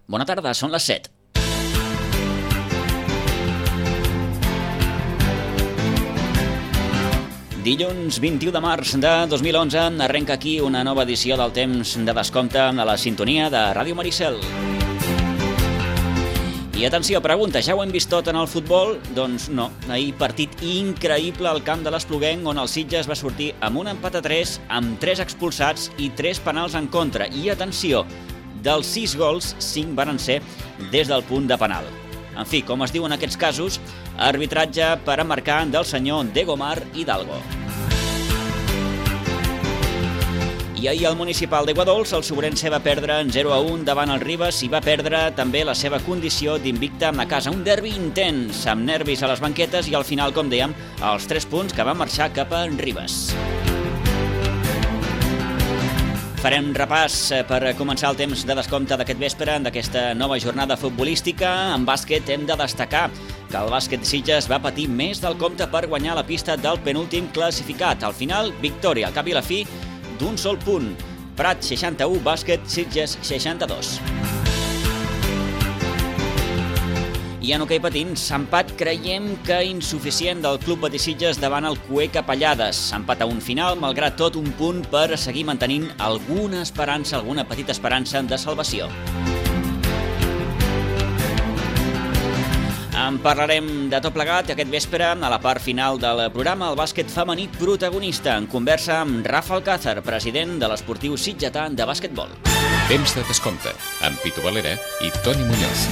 Bona tarda, són les 7. Dilluns 21 de març de 2011 arrenca aquí una nova edició del Temps de Descompte a la sintonia de Ràdio Maricel. I atenció, pregunta, ja ho hem vist tot en el futbol? Doncs no, ahir partit increïble al camp de l'Espluguenc on el Sitges va sortir amb un empat a 3, amb 3 expulsats i 3 penals en contra. I atenció, dels 6 gols, 5 van ser des del punt de penal. En fi, com es diu en aquests casos, arbitratge per a marcar del senyor Degomar Hidalgo. I ahir el municipal d'Aiguadols, el Sobrense va perdre en 0-1 davant el Ribes i va perdre també la seva condició d'invicte a casa. Un derbi intens, amb nervis a les banquetes i al final, com dèiem, els 3 punts que van marxar cap a Ribes. Farem repàs per començar el temps de descompte d'aquest vespre, d'aquesta nova jornada futbolística. En bàsquet hem de destacar que el bàsquet Sitges va patir més del compte per guanyar la pista del penúltim classificat. Al final, victòria, al cap i la fi, d'un sol punt. Prat 61, bàsquet Sitges 62. I en hoquei patins, empat creiem que insuficient del Club Betis Sitges davant el Cué Capellades. Empat a un final, malgrat tot un punt per seguir mantenint alguna esperança, alguna petita esperança de salvació. En parlarem de tot plegat aquest vespre a la part final del programa, el bàsquet femení protagonista, en conversa amb Rafa Alcázar, president de l'Esportiu Sitgetà de bàsquetbol. Temps de descompte, amb Pitu Valera i Toni Muñoz.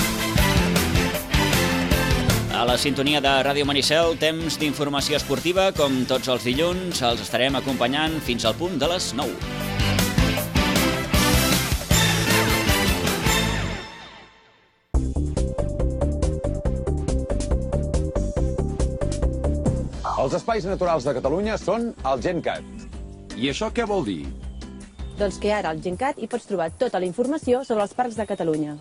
A la sintonia de Ràdio Maricel, temps d'informació esportiva, com tots els dilluns, els estarem acompanyant fins al punt de les 9. Els espais naturals de Catalunya són el GenCat. I això què vol dir? Doncs que ara al GenCat hi pots trobar tota la informació sobre els parcs de Catalunya.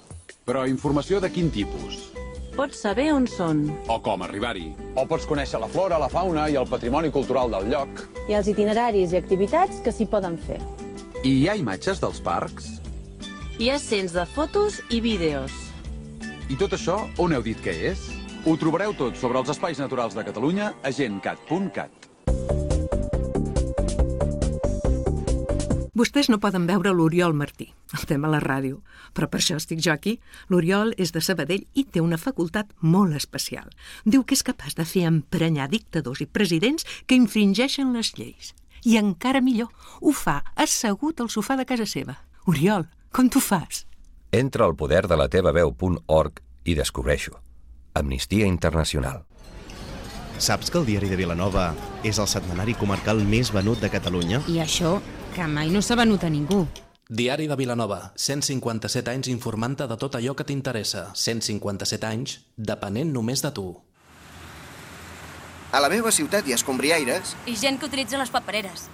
Però informació de quin tipus? Pots saber on són. O com arribar-hi? O pots conèixer la flora, la fauna i el patrimoni cultural del lloc. I els itineraris i activitats que s'hi poden fer. I hi ha imatges dels parcs? Hi ha cents de fotos i vídeos. I tot això on heu dit que és? Ho trobareu tot sobre els espais naturals de Catalunya a gencat.cat. Vostès no poden veure l'Oriol Martí, el tema a la ràdio, però per això estic jo aquí. L'Oriol és de Sabadell i té una facultat molt especial. Diu que és capaç de fer emprenyar dictadors i presidents que infringeixen les lleis. I encara millor, ho fa assegut al sofà de casa seva. Oriol, com t'ho fas? Entra al poder de la teva veu.org i descobreixo. Amnistia Internacional. Saps que el Diari de Vilanova és el setmanari comarcal més venut de Catalunya? I això, que mai no s'ha venut a ningú. Diari de Vilanova, 157 anys informant-te de tot allò que t'interessa. 157 anys depenent només de tu. A la meva ciutat hi ha escombriaires. I gent que utilitza les papereres.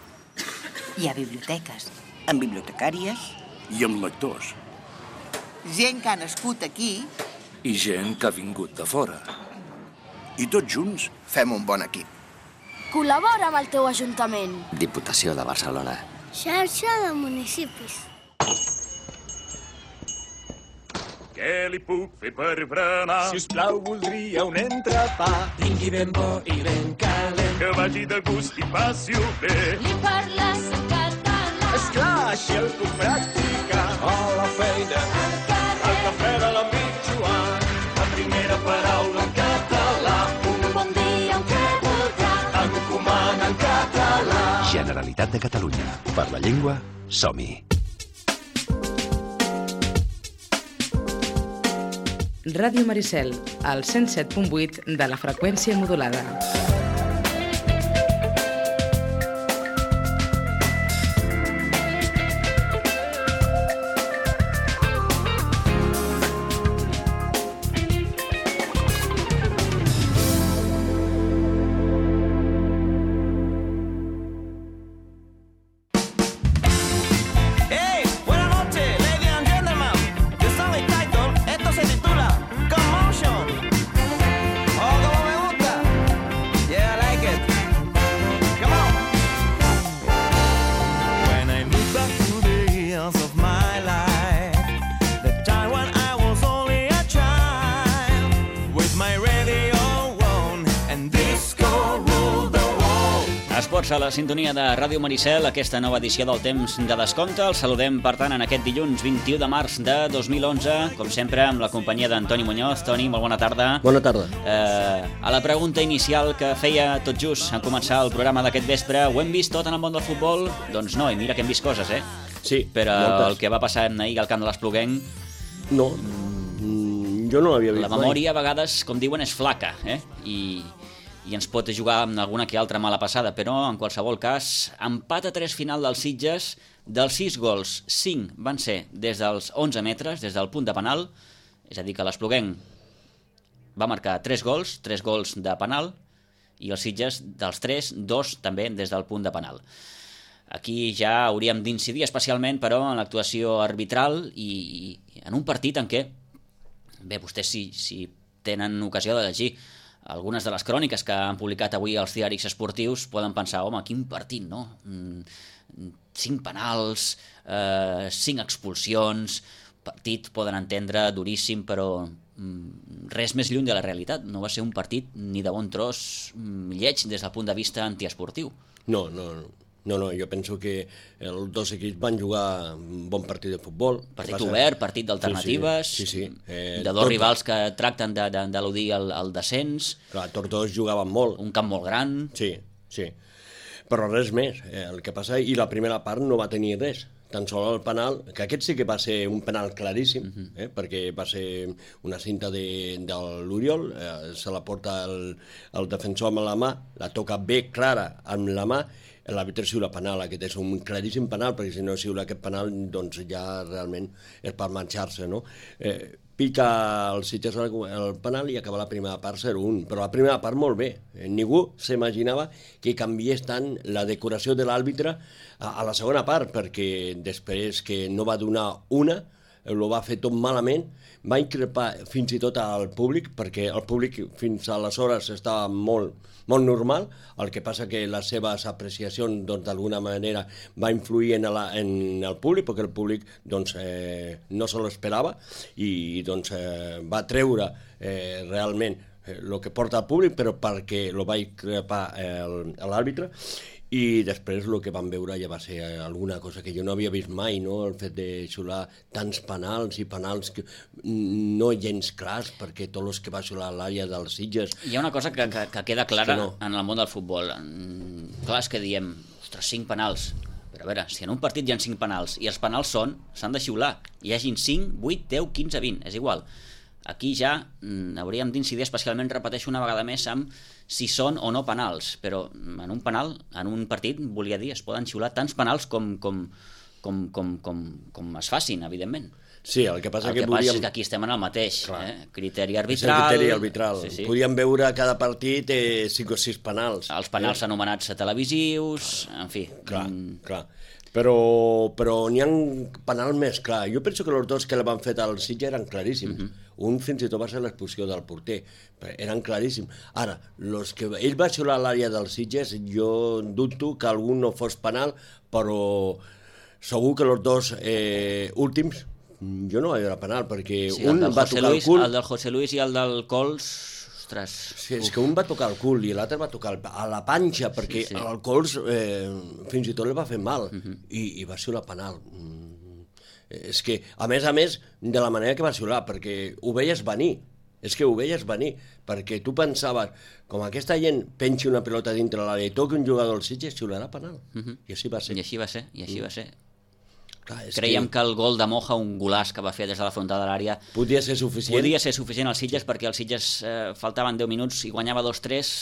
Hi ha biblioteques. Amb bibliotecàries. I amb lectors. Gent que ha nascut aquí. I gent que ha vingut de fora. I tots junts fem un bon equip. Col·labora amb el teu ajuntament. Diputació de Barcelona. Xarxa de municipis. Què li puc fer per berenar? Si us plau, voldria un entrepà. Tingui ben bo i ben calent. Que vagi de gust i passi-ho bé. Li parles en català. Esclar, així el puc practicar. A la feina, al cafè de l'amic Joan. La primera paraula en català. Un bon dia, un què voldrà. Encomana en català. Generalitat de Catalunya. Per la llengua, som-hi. Ràdio Maricel, al 107.8 de la freqüència modulada. Esports a la sintonia de Ràdio Maricel, aquesta nova edició del Temps de Descompte. El saludem, per tant, en aquest dilluns 21 de març de 2011, com sempre, amb la companyia d'Antoni Muñoz. Toni, molt bona tarda. Bona tarda. A la pregunta inicial que feia tot just en començar el programa d'aquest vespre, ho hem vist tot en el món del futbol? Doncs no, i mira que hem vist coses, Sí, però moltes. el que va passar ahir al camp de l'Espluguenc... No, jo no l'havia vist La memòria, a vegades, com diuen, és flaca, i ens pot jugar amb alguna que altra mala passada, però en qualsevol cas, empat a 3 final dels Sitges. Dels 6 gols, 5 van ser des dels 11 metres, des del punt de penal, és a dir, que l'Espluguenc va marcar 3 gols de penal, i els Sitges, dels 3, 2 també des del punt de penal. Aquí ja hauríem d'incidir especialment, però, en l'actuació arbitral i en un partit en què, bé, vostès si tenen ocasió de llegir algunes de les cròniques que han publicat avui els diaris esportius, poden pensar, home, quin partit, no? 5 penals, 5 expulsions, partit poden entendre duríssim, però res més lluny de la realitat. No va ser un partit ni de bon tros lleig des del punt de vista antiesportiu. No, jo penso que els dos equips van jugar un bon partit de futbol. Partit obert, partit d'alternatives, de dos rivals que tracten d'eludir el descens. Clar, tots dos jugaven molt. Un camp molt gran. Sí, però res més. El que passa, i la primera part no va tenir res. Tan sols el penal, que aquest sí que va ser un penal claríssim, perquè va ser una cinta de l'Oriol, se la porta el defensor amb la mà, la toca bé clara amb la mà, l'àrbitre xiula penal. Aquest és un claríssim penal, perquè si no xiula aquest penal, doncs ja realment és per marxar-se, no? Pica el Sitges el penal i acaba la primera part 0-1, però la primera part molt bé. Ningú s'imaginava que canviés tant la decoració de l'àrbitre a la segona part, perquè després que no va donar una, ho va fer tot malament, va increpar fins i tot al públic, perquè el públic fins aleshores estava molt normal, el que passa que les seves apreciacions d'alguna manera va influir en el públic, perquè el públic no se l'esperava i va treure realment el que porta al públic, però perquè lo va increpar l'àrbitre. I després el que vam veure ja va ser alguna cosa que jo no havia vist mai, no? El fet de xular tants penals i penals no gens clars, perquè tots els que va xular a l'àrea dels Sitges... Hi ha una cosa que queda clara en el món del futbol. Clar, és que diem, ostres, 5 penals. Però a veure, si en un partit hi ha 5 penals i els penals s'han de xiular, hi hagin 5, 8, 10, 15, 20, és igual. Aquí ja hauríem d'incidir especialment, repeteixo una vegada més, amb si són o no penals, però en un penal, en un partit, volia dir, es poden xiular tants penals com es facin, evidentment. Sí, el que passa és que aquí estem en el mateix, criteri arbitral. És el criteri arbitral. Sí. Podíem veure a cada partit 5 o 6 penals. Els penals anomenats televisius, en fi. Clar. Però n'hi ha un penal més clar. Jo penso que els dos que l'han fet al Sitges eren claríssims. Un fins i tot va ser l'expulsió del porter. Eren claríssims. Ara, ell va xiular a l'àrea dels Sitges, jo dubto que algun no fos penal, però segur que els dos últims jo no vaig veure penal, perquè un va tocar el cul... El del José Luis i el del Cols... Ostres... Sí, és que un va tocar el cul i l'altre va tocar a la panxa, perquè el Cols fins i tot li va fer mal i va xiular penal. És que, a més, de la manera que va xiular, perquè ho veies venir. És que ho veies venir, perquè tu pensaves, com aquesta gent pensi una pilota dintre l'àrea i toqui un jugador del Sitges, xiularà penal. I així va ser. I així va ser. Clar, creiem que el gol de Moja, un golaç que va fer des de la frontada de l'àrea, podia ser suficient als Sitges, perquè als Sitges faltaven 10 minuts i guanyava 2-3,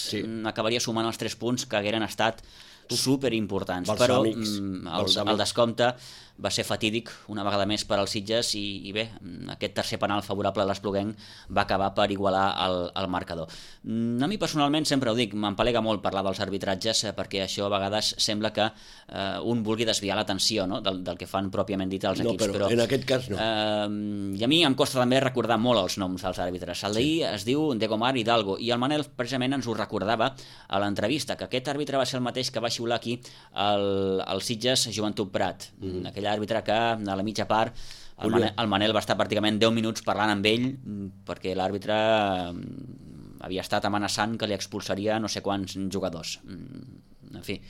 acabaria sumant els 3 punts que hagueren estat superimportants, però el descompte va ser fatídic una vegada més per als Sitges i bé, aquest tercer penal favorable a l'Espluguenc va acabar per igualar el marcador. A mi personalment, sempre ho dic, m'empalega molt parlar dels arbitratges, perquè això a vegades sembla que un vulgui desviar l'atenció del que fan pròpiament dit els equips. No, però en aquest cas no. I a mi em costa també recordar molt els noms dels àrbitres. El d'ahir es diu Degomar Hidalgo i el Manel precisament ens ho recordava a l'entrevista, que aquest àrbitre va ser el mateix que va xiular aquí el Sitges Joventut Prat, aquell àrbitre que a la mitja part el Manel va estar pràcticament 10 minuts parlant amb ell perquè l'àrbitre havia estat amenaçant que li expulsaria no sé quants jugadors. en fi...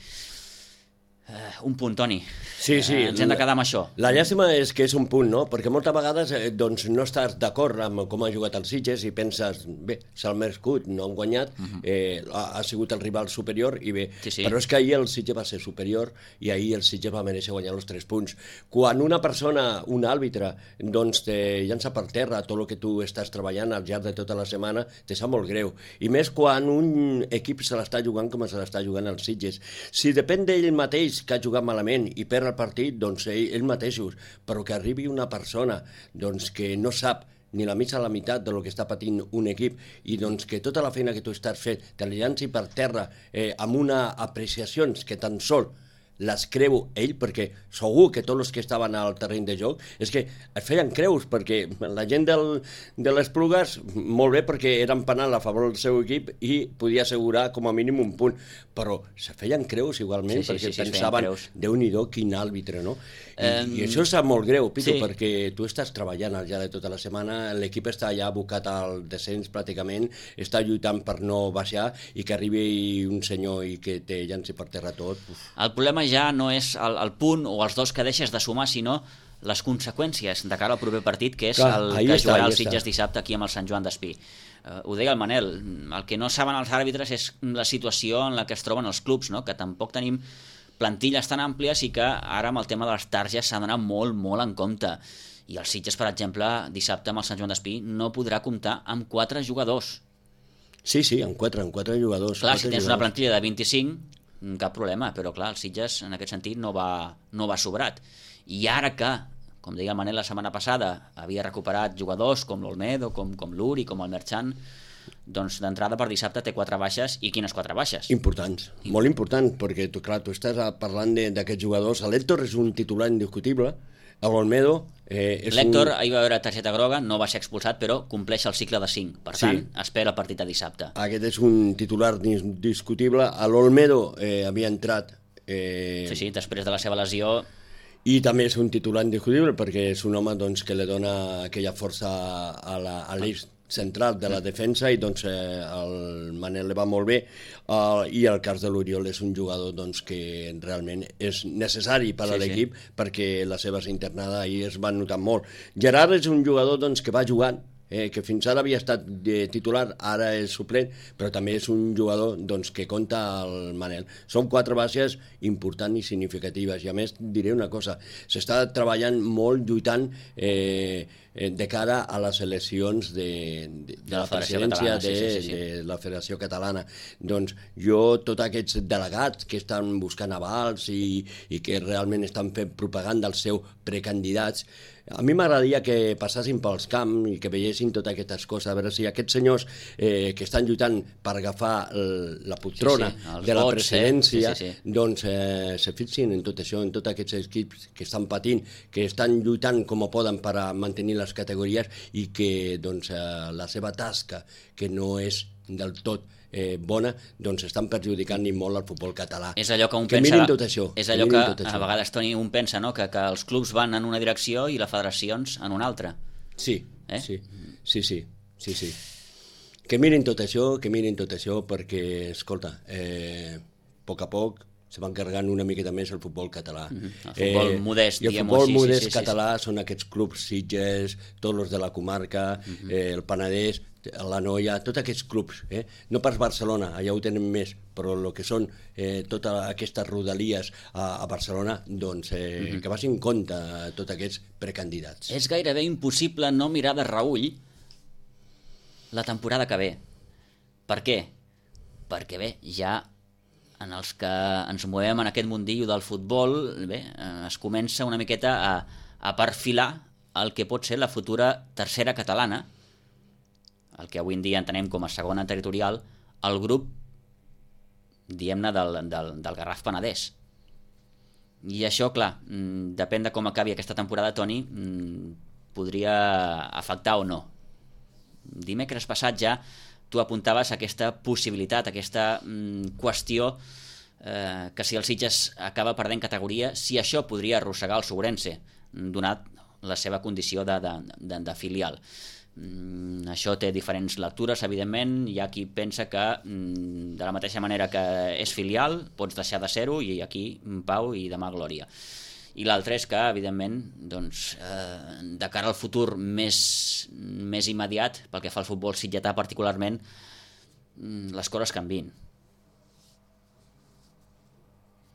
un punt, Toni. Sí, ens hem de quedar amb això. La llàstima és que és un punt, no? Perquè moltes vegades doncs, no estàs d'acord amb com ha jugat el Sitges i penses, bé, s'ha merescut, no han guanyat, ha sigut el rival superior i bé, però és que ahir el Sitges va ser superior i ahir el Sitges va mereixer guanyar els 3 punts. Quan una persona, un àrbitre, doncs te llança per terra tot el que tu estàs treballant al llarg de tota la setmana, te sap molt greu. I més quan un equip se l'està jugant com se l'està jugant el Sitges. Si depèn d'ell mateix que ha jugat malament i perd el partit, doncs ells mateixos, però que arribi una persona doncs, que no sap ni la mitja a la meitat del que està patint un equip i doncs que tota la feina que tu estàs fent te la llanci per terra amb unes apreciacions que tan sol les creu ell, perquè segur que tots els que estaven al terreny de joc és que es feien creus, perquè la gent de les Plugues, molt bé, perquè eren penal a favor del seu equip i podia assegurar com a mínim un punt, però se feien creus igualment, perquè pensaven, Déu-n'hi-do, quin àrbitre, no? I això és molt greu, Pitu, perquè tu estàs treballant al llarg de tota la setmana, l'equip està ja abocat al descens pràcticament, està lluitant per no baixar i que arribi un senyor i que te llanci per terra tot. El problema ja no és el punt o els 2 que deixes de sumar, sinó les conseqüències de cara al proper partit, que és el que jugarà el Sitges dissabte aquí amb el Sant Joan d'Espí. Ho deia el Manel, el que no saben els àrbitres és la situació en la que es troben els clubs, no? Que tampoc tenim plantilles tan àmplies i que ara amb el tema de les targes s'ha d'anar molt, molt en compte. I el Sitges, per exemple, dissabte amb el Sant Joan d'Espí no podrà comptar amb 4 jugadors. Sí, amb 4 jugadors. Clar, si tens una plantilla de 25, cap problema, però clar, el Sitges en aquest sentit no va sobrat. I ara que, com deia el Manel la setmana passada, havia recuperat jugadors com l'Olmedo, com l'Uri, com el Merchant, doncs d'entrada per dissabte té 4 baixes. I quines 4 baixes? Importants, molt importants, perquè tu estàs parlant d'aquests jugadors. L'Héctor és un titular indiscutible, l'Olmedo l'Héctor ahir va veure targeta groga, no va ser expulsat, però compleix el cicle de 5, per tant espera el partit de dissabte. Aquest és un titular indiscutible. L'Olmedo havia entrat després de la seva lesió, i també és un titular indiscutible perquè és un home doncs, que li dona aquella força a l'eix central de la defensa i doncs el Manel li va molt bé i el cas de l'Oriol és un jugador doncs, que realment és necessari per a l'equip perquè la seva internada ahir es va notar molt. Gerard és un jugador doncs, que va jugant, que fins ara havia estat titular, ara és suplent, però també és un jugador doncs, que compta el Manel. Són 4 baixes importants i significatives i a més diré una cosa, s'està treballant molt lluitant de cara a les eleccions de la presidència de la Federació Catalana. Doncs jo, tots aquests delegats que estan buscant avals i que realment estan fent propaganda als seus precandidats, a mi m'agradaria que passessin pels camps i que veiessin totes aquestes coses, a veure si aquests senyors que estan lluitant per agafar la poltrona de la presidència doncs se fixin en tot això, en tots aquests equips que estan patint, que estan lluitant com poden per a mantenir les categories i que doncs, la seva tasca, que no és del tot bona, doncs estan perjudicant molt al futbol català. És allò que un pensa... mirin tot això. És allò que a vegades, Toni, un pensa, no? que els clubs van en una direcció i les federacions en una altra. Sí. Que mirin tot això perquè, escolta, a poc se van carregant una miqueta més el futbol català. El futbol modest, i el futbol modest català són aquests clubs Sitges, tots els de la comarca, el Penedès, la Noia, tots aquests clubs, no pas Barcelona, allà ho tenen més, però el que són totes aquestes rodalies a Barcelona, doncs que vagin en compte tots aquests precandidats. És gairebé impossible no mirar de reüll la temporada que ve. Per què? Perquè bé, ja en els que ens movem en aquest mundillo del futbol, es comença una miqueta a perfilar el que pot ser la futura tercera catalana, el que avui en dia entenem com a segona territorial, el grup, diguem-ne, del Garraf Penedès. I això, clar, depèn de com acabi aquesta temporada, Toni, podria afectar o no. Dimecres passat ja tu apuntaves aquesta possibilitat, aquesta qüestió que si el Sitges acaba perdent categoria, si això podria arrossegar el Sobrense, donat la seva condició de filial. Això té diferents lectures, evidentment. Hi ha qui pensa que de la mateixa manera que és filial pots deixar de ser-ho, i aquí pau i demà glòria. I l'altre és que, evidentment, de cara al futur més immediat, pel que fa al futbol sitgetà particularment, les coses canvien.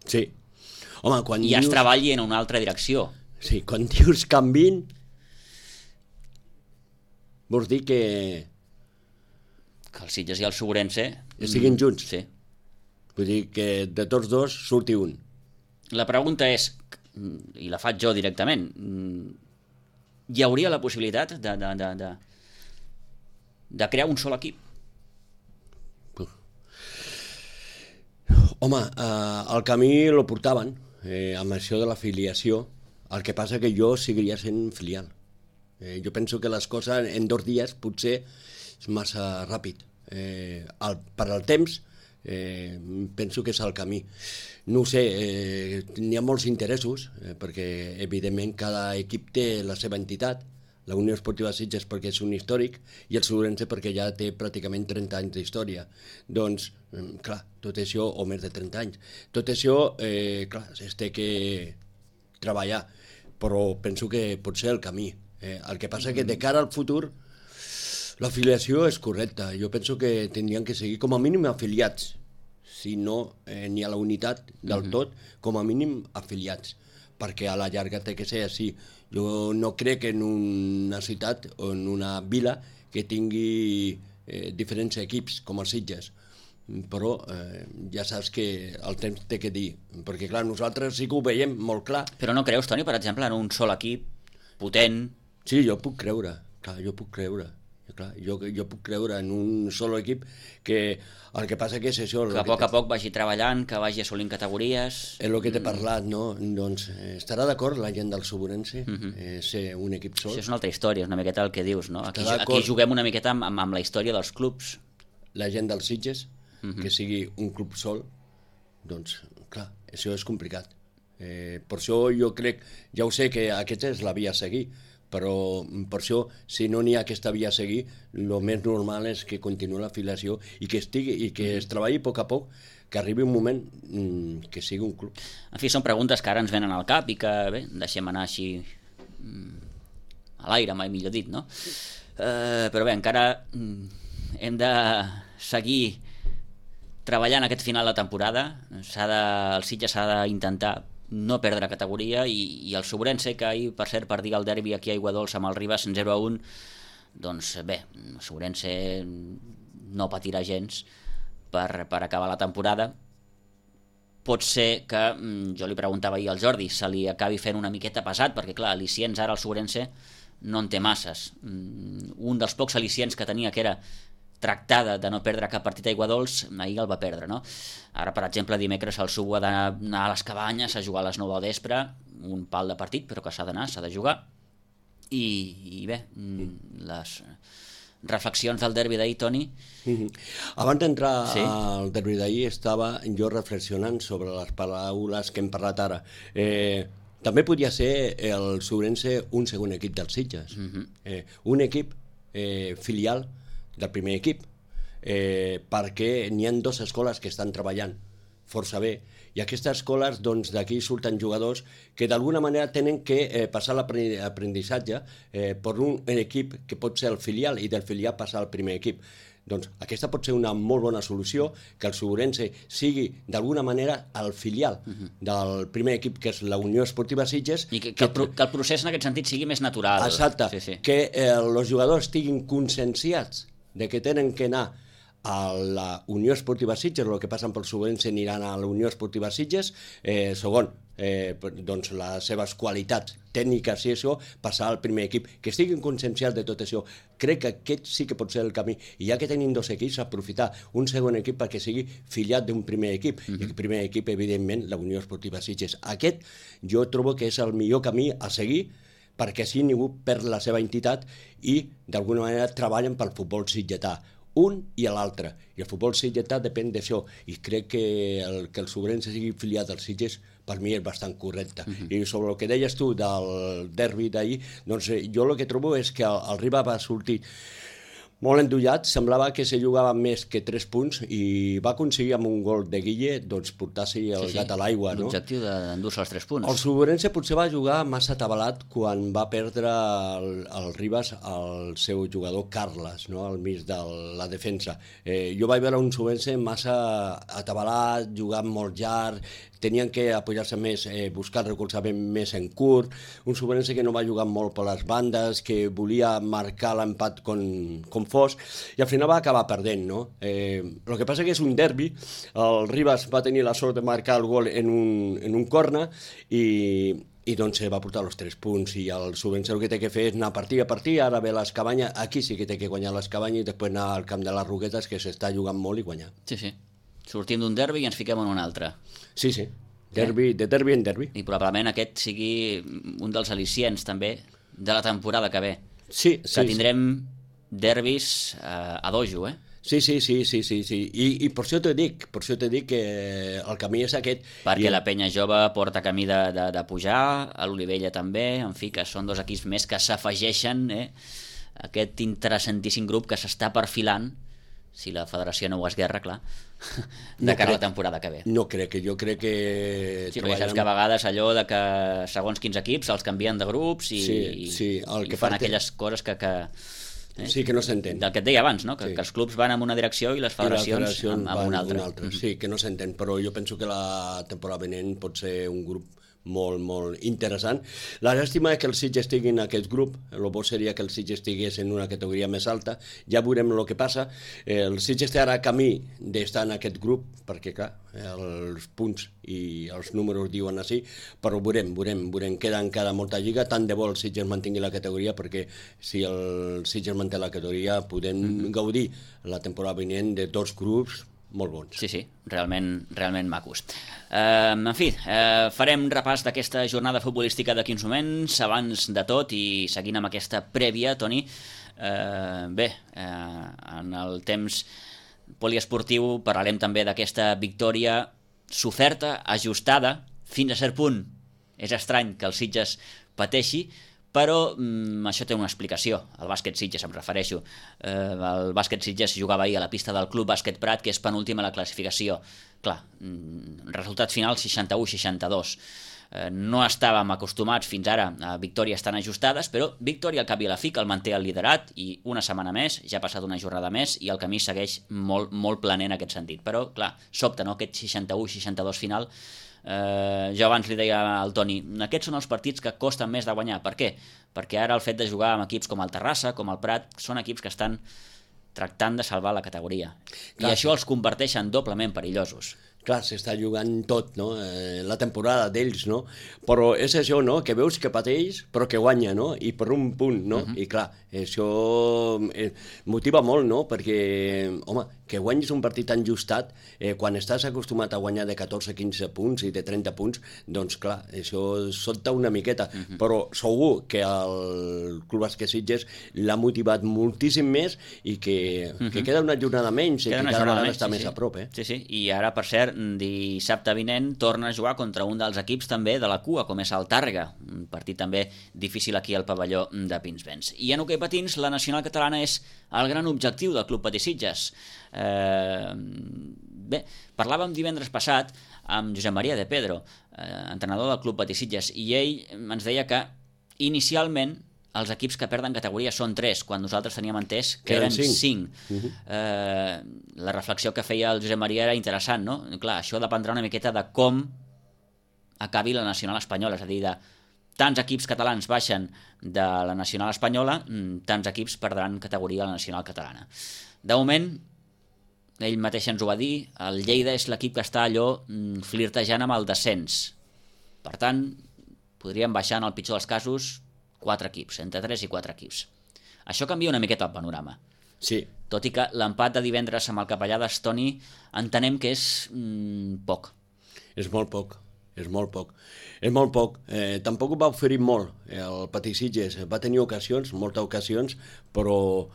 Sí. Home, quan I es treballi en una altra direcció. Sí, quan dius canvien, vols dir que el Sitges i el Segurense estiguin junts? Sí. Vull dir que de tots dos surti un. La pregunta és, i la faig jo directament, hi hauria la possibilitat de crear un sol equip? Home, el camí lo portaven amb això de l'afiliació. El que passa que jo seguiria sent filial. Jo penso que les coses en 2 dies potser és massa ràpid. Per al temps penso que és el camí. No ho sé, n'hi ha molts interessos, perquè evidentment cada equip té la seva entitat. La Unió Esportiva Sitges perquè és un històric i el Segurense perquè ja té pràcticament 30 anys d'història. Doncs, clar, tot això, o més de 30 anys, tot això, clar, es té que treballar, però penso que pot ser el camí. El que passa que de cara al futur l'afiliació és correcta. Jo penso que tindrien que seguir com a mínim afiliats, si no n'hi ha la unitat del tot, com a mínim afiliats, perquè a la llarga té que ser així. Jo no crec en una ciutat o en una vila que tingui diferents equips com els Sitges, però ja saps que el temps té que dir, perquè clar, nosaltres sí que ho veiem molt clar. Però no creus, Toni, per exemple, en un sol equip potent? Sí, jo puc creure, clar, jo puc creure. Clar, jo puc creure en un sol equip que el que passa que és això... Que a poc a poc vagi treballant, que vagi assolint categories... És el que t'he parlat, no? Doncs estarà d'acord la gent del Segurense ser un equip sol? Això és una altra història, és una miqueta el que dius, no? Aquí juguem una miqueta amb la història dels clubs. La gent dels Sitges, que sigui un club sol, doncs, clar, això és complicat. Per això jo crec, ja ho sé que aquesta és la via a seguir, però per això, si no n'hi ha aquesta via a seguir, el més normal és que continuï l'afiliació i que es treballi a poc, que arribi un moment que sigui un club. En fi, són preguntes que ara ens venen al cap i que, bé, deixem anar així a l'aire, mai millor dit, no? Però bé, encara hem de seguir treballant aquest final de temporada. El Sitges s'ha d'intentar no perdre categoria, i el Segurense, que ahir, per cert, perdia el derbi aquí a Aiguadols amb el Ribas 0-1, doncs bé, el Segurense no patirà gens per acabar la temporada. Pot ser que, jo li preguntava ahir al Jordi, se li acabi fent una miqueta pesat, perquè clar, al·licients ara el Segurense no en té masses. Un dels pocs al·licients que tenia, que era tractada de no perdre cap partit a Aiguadols, ahir el va perdre, no? Ara, per exemple, dimecres el Subo ha d'anar a les Cabanyes a jugar a les 9 del vespre, un pal de partit, però que s'ha d'anar, s'ha de jugar. I bé, les reflexions del derbi d'ahir, Toni? Abans d'entrar al derbi d'ahir estava jo reflexionant sobre les paraules que hem parlat ara. També podria ser el Segurense un segon equip dels Sitges, un equip filial del primer equip, perquè n'hi ha 2 escoles que estan treballant força bé, i aquestes escoles, doncs, d'aquí surten jugadors que d'alguna manera tenen que passar l'aprenentatge per un equip que pot ser el filial, i del filial passar al primer equip. Doncs aquesta pot ser una molt bona solució, que el Segurense sigui d'alguna manera el filial del primer equip, que és la Unió Esportiva Sitges. I que el procés en aquest sentit sigui més natural. Exacte, que els jugadors estiguin conscienciats de que tenen que anar a la Unió Esportiva Sitges, el que passen pel Segurense aniran a la Unió Esportiva Sitges, segon, doncs les seves qualitats tècniques i això, passar al primer equip, que estiguin conscienciats de tot això. Crec que aquest sí que pot ser el camí, i ja que tenim 2 equips, aprofitar un segon equip perquè sigui filiat d'un primer equip, i el primer equip, evidentment, la Unió Esportiva Sitges. Aquest jo trobo que és el millor camí a seguir, perquè així ningú perd la seva entitat i d'alguna manera treballen pel futbol sitgetà. un i l'altre. I el futbol sitgetà depèn d'això. I crec que el Sobrense sigui filiat als Sitges per mi és bastant correcte. I sobre el que deies tu del derbi d'ahir, doncs jo el que trobo és que el Riba va sortir molt endollat, semblava que se jugava més que 3 punts i va aconseguir amb un gol de Guille doncs, portar-s'hi el gat a l'aigua. L'objectiu d'endur-se els 3 punts. El Sobrense potser va jugar massa atabalat quan va perdre el Ribas al seu jugador Carles, no? Al mig de la defensa. Jo vaig veure un Sobrense massa atabalat, jugant molt llarg, tenien que apoyar-se més, buscar recolzament més en curt, un Sobrense que no va jugar molt per les bandes, que volia marcar l'empat com fos, i al final va acabar perdent, no? El que passa que és un derbi, el Ribas va tenir la sort de marcar el gol en un corner, i doncs va portar els 3 punts, i el Sobrense el que té que fer és anar partir a partir, ara ve l'Escabanya, aquí sí que té que guanyar l'Escabanya, i després anar al camp de les Roquetes, que s'està jugant molt, i guanyar. Sí. Sortim d'un derbi i ens fiquem en un altre. Sí. De derbi en derbi. I probablement aquest sigui un dels al·licients també de la temporada que ve. Sí. Que tindrem derbis a dojo, Sí. I per això t'he dit que el camí és aquest. Perquè la penya jove porta camí de pujar, a l'Olivella també, en fi, que són 2 equips més que s'afegeixen aquest interessantíssim grup que s'està perfilant, si la federació no ho esguerra, clar, de cara a la temporada que ve. No crec, jo crec que... Sí, perquè saps que a vegades allò de que segons quins equips els canvien de grups i fan aquelles coses que sí, que no s'entén. Del que et deia abans, no? Que els clubs van en una direcció i les federacions en una altra. Sí, que no s'entén, però jo penso que la temporada venent pot ser un grup molt, molt interessant. La llàstima és que el Sitges estigui en aquest grup, el bo seria que el Sitges estigués en una categoria més alta, ja veurem el que passa. El Sitges té ara camí d'estar en aquest grup, perquè clar, els punts i els números diuen així, però veurem, queda encara molta lliga, tant de bo el Sitges mantingui la categoria, perquè si el Sitges manté la categoria podem gaudir la temporada vinent de 2 grups molt bons. Sí, realment macos. En fi, farem repàs d'aquesta jornada futbolística d'aquí uns moments. Abans de tot, i seguint amb aquesta prèvia, Toni, en el temps poliesportiu parlarem també d'aquesta victòria soferta, ajustada, fins a cert punt. És estrany que el Sitges pateixi, però això té una explicació. El bàsquet Sitges, em refereixo. El bàsquet Sitges jugava ahir a la pista del Club Bàsquet Prat, que és penúltima a la classificació. Clar, resultat final 61-62. No estàvem acostumats fins ara a victòries tan ajustades, però victòria al cap i a la fi, que el manté el liderat, i una setmana més, ja ha passat una jornada més, i el camí segueix molt, molt planer en aquest sentit. Però, clar, sobte, no?, aquest 61-62 final. Jo abans li deia al Toni, aquests són els partits que costen més de guanyar. Per què? Perquè ara el fet de jugar amb equips com el Terrassa, com el Prat, són equips que estan tractant de salvar la categoria. I això els converteix en doblement perillosos. Clar, s'està jugant tot, no? La temporada d'ells, no? Però és això, no?, que veus que pateix, però que guanya, no? I per un punt, no? I clar, això motiva molt, no? Perquè, home, que guanyis un partit tan justat, quan estàs acostumat a guanyar de 14-15 punts i de 30 punts, doncs clar, això sobta una miqueta. Però segur que el Club Bàsquet Sitges l'ha motivat moltíssim més i que queda una jornada menys i que cada vegada està més a prop. Sí, i ara, per cert, dissabte vinent torna a jugar contra un dels equips també de la cua, com és el Tàrrega, un partit també difícil aquí al pavelló de Pinsbens. I en hoquei patins, la nacional catalana és el gran objectiu del Club Patí Sitges. Bé, parlàvem divendres passat amb Josep Maria de Pedro, entrenador del Club Patí Sitges, i ell ens deia que inicialment els equips que perden categoria són 3, quan nosaltres teníem entès que eren 5. La reflexió que feia el Josep Maria era interessant, no? Clar, això dependrà una miqueta de com acabi la nacional espanyola, és a dir, de tants equips catalans baixen de la nacional espanyola, tants equips perdran categoria a la nacional catalana. De moment, ell mateix ens ho va dir, el Lleida és l'equip que està allò flirtejant amb el descens. Per tant, podríem baixar en el pitjor dels casos 4 equips, entre 3 i 4 equips. Això canvia una miqueta el panorama. Sí. Tot i que l'empat de divendres amb el Capellades, Toni, entenem que és poc. És molt poc. És molt poc. És molt poc. Tampoc va oferir molt el Patí Sitges. Va tenir ocasions, moltes ocasions, però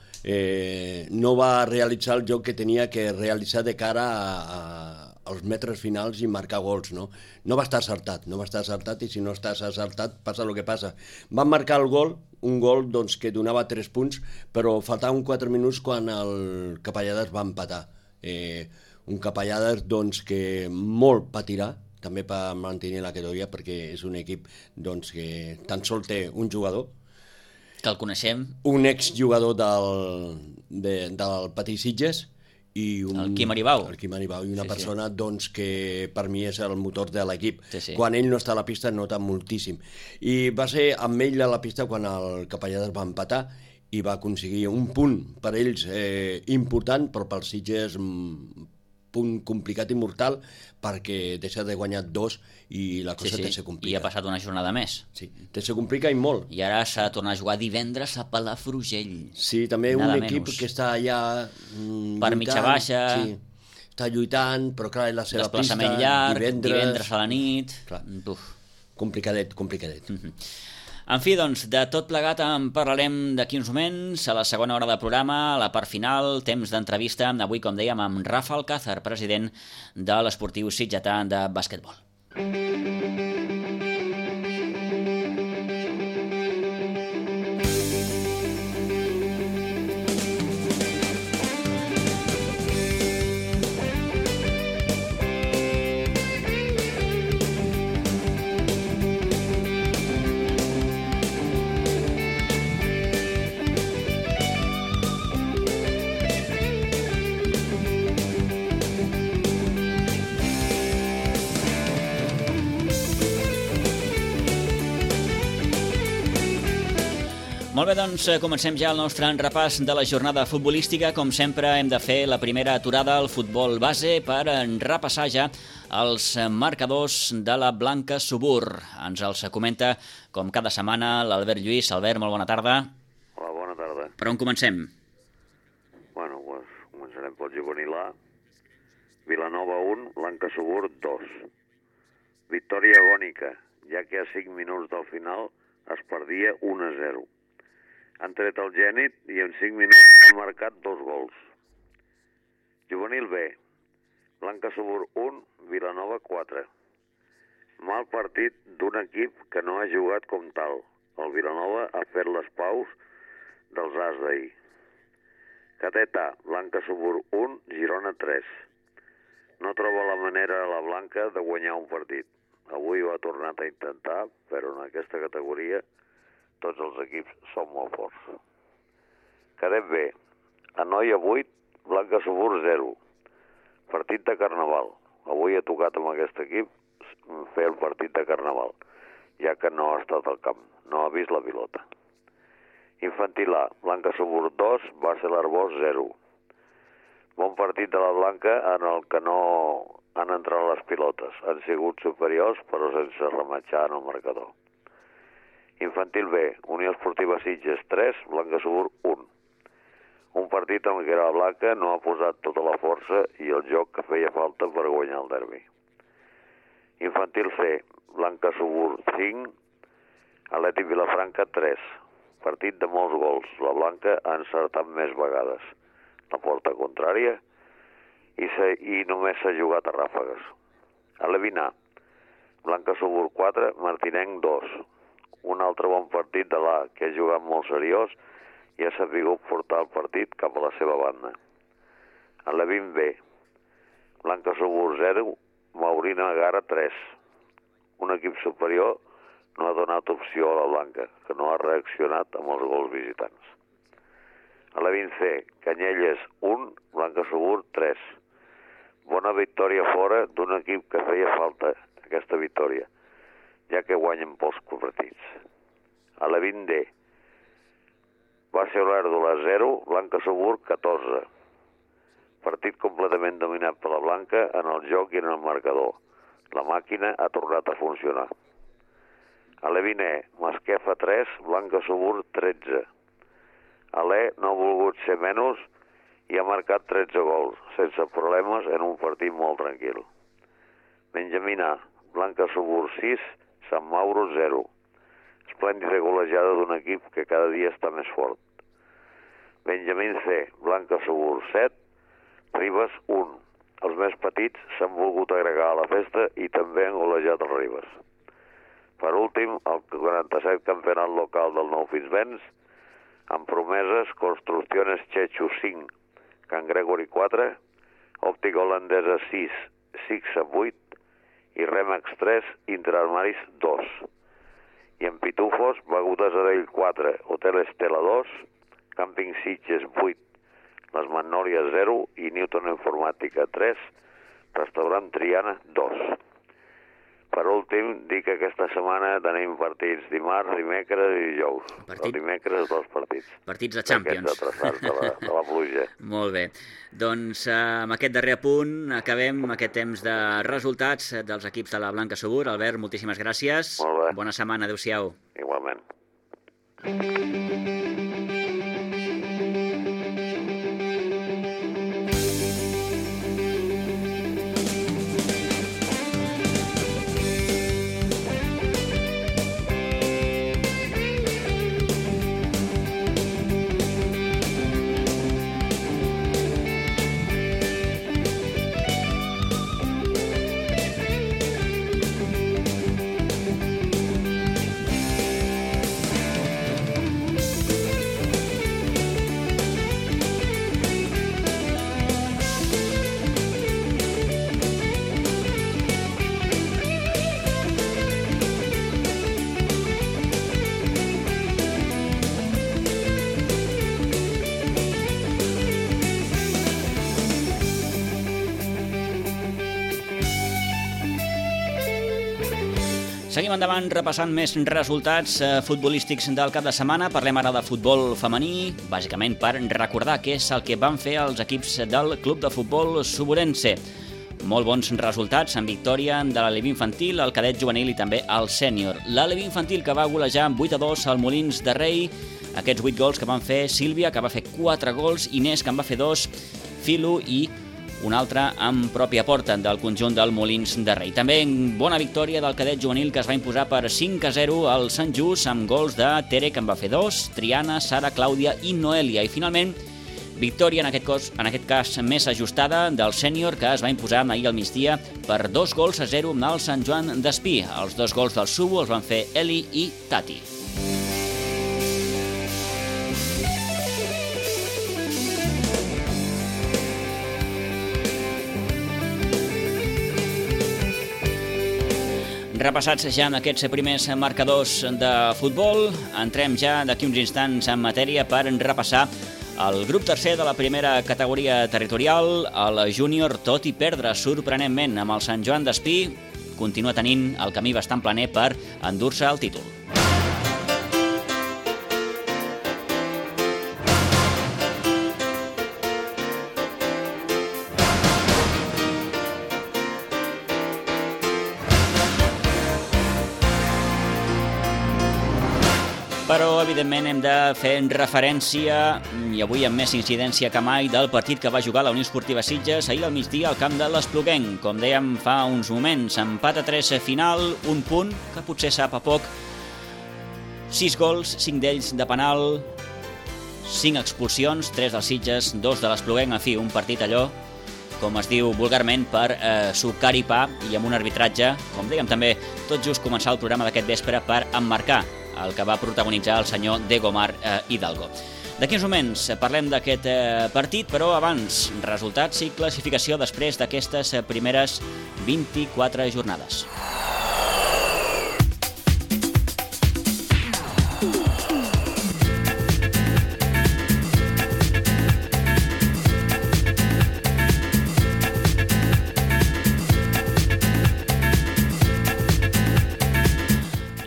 no va realitzar el joc que tenia que realitzar de cara als metres finals i marcar gols, no? No va estar acertat, i si no estàs acertat passa el que passa. Van marcar el gol, un gol doncs, que donava 3 punts, però faltaven 4 minuts quan el Capellades va empatar. Un Capellades doncs, que molt patirà, també per mantenir la categoria, perquè és un equip doncs, que tan sols té un jugador, que el coneixem, un exjugador del Patí Sitges, i el Quim Aribau. I una persona doncs, que per mi és el motor de l'equip. Sí. Quan ell no està a la pista nota moltíssim. I va ser amb ell a la pista quan el Capellades va empatar i va aconseguir un punt per ells important, però per Sitges punt complicat i mortal, perquè deixa de guanyar 2 i la cosa se complica. I ha passat una jornada més. Sí, se complica i molt. I ara s'ha de tornar a jugar divendres a Palafrugell. Sí, també un equip que està allà per mitja baixa. Sí, està lluitant, però clar, és la seva pista. Desplaçament llarg, divendres a la nit. Complicadet. En fi, doncs, de tot plegat en parlarem d'aquí uns moments, a la segona hora de programa, a la part final, temps d'entrevista, avui, com dèiem, amb Rafa Alcázar, president de l'Esportiu Sitgetà de bàsquetbol. Molt bé, doncs comencem ja el nostre repàs de la jornada futbolística. Com sempre hem de fer la primera aturada al futbol base per repassar ja els marcadors de la Blanca Subur. Ens els comenta, com cada setmana, l'Albert Lluís. Albert, molt bona tarda. Hola, bona tarda. Per on comencem? Bueno, començarem pel juvenil A. Vilanova 1, Blanca Subur 2. Victòria agònica, ja que a 5 minuts del final es perdia 1-0. Han tret el Gènit i en 5 minuts han marcat 2 gols. Juvenil B, Blanca Subur 1, Vilanova 4. Mal partit d'un equip que no ha jugat com tal. El Vilanova ha fet les paus dels as d'ahir. Cadet A, Blanca Subur 1, Girona 3. No troba la manera a la Blanca de guanyar un partit. Avui ho ha tornat a intentar, però en aquesta categoria tots els equips són molt forts. Cadet B, Anoia 8, Blanca Subur 0. Partit de Carnaval. Avui ha tocat amb aquest equip fer el partit de Carnaval, ja que no ha estat al camp, no ha vist la pilota. Infantil A, Blanca Subur 2, Bàsser Arbós 0. Bon partit de la Blanca en el que no han entrat les pilotes. Han sigut superiors, però sense rematxar en el marcador. Infantil B, Unió Esportiva Sitges 3, Blanca Subur 1. Un partit en què la Blanca no ha posat tota la força i el joc que feia falta per guanyar el derbi. Infantil C, Blanca Subur 5, Atlètic Vilafranca 3. Partit de molts gols. La Blanca ha encertat més vegades la porta contrària i només s'ha jugat a ràfegues. Alevin A, Blanca Subur 4, Martinenc 2. Un altre bon partit de l'A, que ha jugat molt seriós i ha sabut portar el partit cap a la seva banda. Alevin B, Blanca Subur 0, Maurina Gara 3. Un equip superior no ha donat opció a la Blanca, que no ha reaccionat amb els gols visitants. Alevin C, Canyelles 1, Blanca Subur 3. Bona victòria fora d'un equip que feia falta aquesta victòria, ja que guanyen pocs partits. Alevin D, Bàsser Olèrdola 0, Blanca Subur 14. Partit completament dominat per la Blanca en el joc i en el marcador. La màquina ha tornat a funcionar. Alevin E, Masquefa 3, Blanca Subur 13. Alè no ha volgut ser menys i ha marcat 13 gols, sense problemes en un partit molt tranquil. Benjamín A, Blanca Subur 6, Sant Mauro 0. Esplèndida golejada d'un equip que cada dia està més fort. Benjamín C, Blanca Subur 7, Ribes 1. Els més petits s'han volgut agregar a la festa i també han golejat el Ribes. Per últim, el 47 campionat local del Nou Fins-Vents, amb promeses Construcciones Chechu 5, Can Gregori 4, Òptica Holandesa 6, Sixa 8 i Remax 3, Interarmaris 2. I en Pitufos, Begudes Adell 4, Hotel Estela 2, Càmping Sitges 8, Les Magnòlies 0 i Newton Informàtica 3, Restaurant Triana 2. Per últim, dic que aquesta setmana tenim partits dimarts, dimecres i dijous. El dimecres 2 partits. Partits de Champions. Aquests atrasats de la pluja. Molt bé. Doncs amb aquest darrer punt acabem aquest temps de resultats dels equips de la Blanca Subur. Albert, moltíssimes gràcies. Molt bé. Bona setmana, adéu-siau. Igualment. Seguim endavant repassant més resultats futbolístics del cap de setmana. Parlem ara de futbol femení, bàsicament per recordar què és el que van fer els equips del Club de Futbol Suburense. Molt bons resultats en victòria de l'Alevi infantil, el cadet juvenil i també el sènior. L'Alevi infantil que va golejar amb 8-2 al Molins de Rei, aquests 8 gols que van fer Sílvia, que va fer 4 gols, Inés, que en va fer 2, Filo i un altre amb pròpia porta del conjunt del Molins de Rei. També bona victòria del cadet juvenil que es va imposar per 5-0 al Sant Just amb gols de Tere, que en va fer 2, Triana, Sara, Clàudia i Noelia. I finalment, victòria en aquest cas més ajustada del sènior que es va imposar ahir al migdia per 2-0 al Sant Joan d'Espí. Els 2 gols del Subo els van fer Eli i Tati. Repassats ja en aquests primers marcadors de futbol, entrem ja d'aquí uns instants en matèria per repassar el grup tercer de la primera categoria territorial. El júnior, tot i perdre sorprenentment amb el Sant Joan d'Espí, continua tenint el camí bastant planer per endur-se el títol. Però, evidentment, hem de fer referència, i avui amb més incidència que mai, del partit que va jugar la Unió Esportiva Sitges ahir al migdia al camp de l'Espluguenc. Com dèiem fa uns moments, empat a 3 final, un punt, que potser sap a poc. 6 gols, 5 d'ells de penal, 5 expulsions, 3 dels Sitges, 2 de l'Espluguenc. En fi, un partit allò, com es diu vulgarment, per sucar i pa, i amb un arbitratge, com dèiem també, tot just començar el programa d'aquest vespre, per emmarcar el que va protagonitzar el senyor Degomar Hidalgo. D'aquí uns moments parlem d'aquest partit, però abans, resultats i classificació després d'aquestes primeres 24 jornades.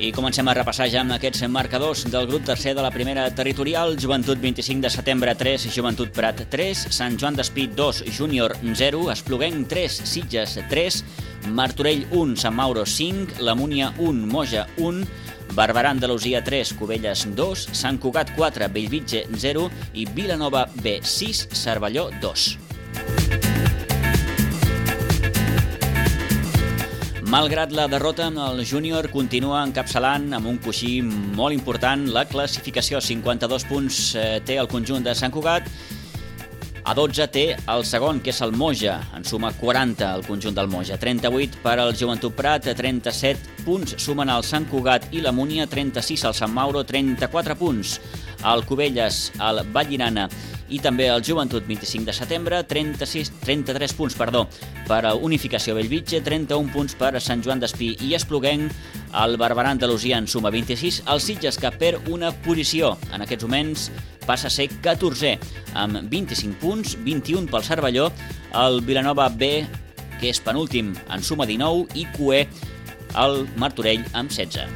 I comencem a repassar ja amb aquests marcadors del grup tercer de la primera territorial. Joventut 25 de setembre 3, Joventut Prat 3, Sant Joan d'Espí 2, Júnior 0, Espluguenc 3, Sitges 3, Martorell 1, Sant Mauro 5, La Múnia 1, Moja 1, Barberà Andalusia 3, Cubelles 2, Sant Cugat 4, Bellvitge 0 i Vilanova B 6, Cervelló 2. Malgrat la derrota, el júnior continua encapçalant amb un coixí molt important la classificació. 52 punts té el conjunt de Sant Cugat. A 12 té el segon, que és el Moja. En suma 40 el conjunt del Moja. 38 per al Joventut Prat, 37 punts sumen el Sant Cugat i la Múnia, 36 al Sant Mauro, 34 punts al Cubelles, al Vallirana i també el Joventut 25 de setembre, 33 punts per a Unificació Bellvitge, 31 punts per a Sant Joan d'Espí i Espluguenc, el Barberà Andalusia en suma 26, el Sitges que perd una posició. En aquests moments passa a ser 14è, amb 25 punts, 21 pel Cervelló, el Vilanova B, que és penúltim, en suma 19, i cué el Martorell amb 16.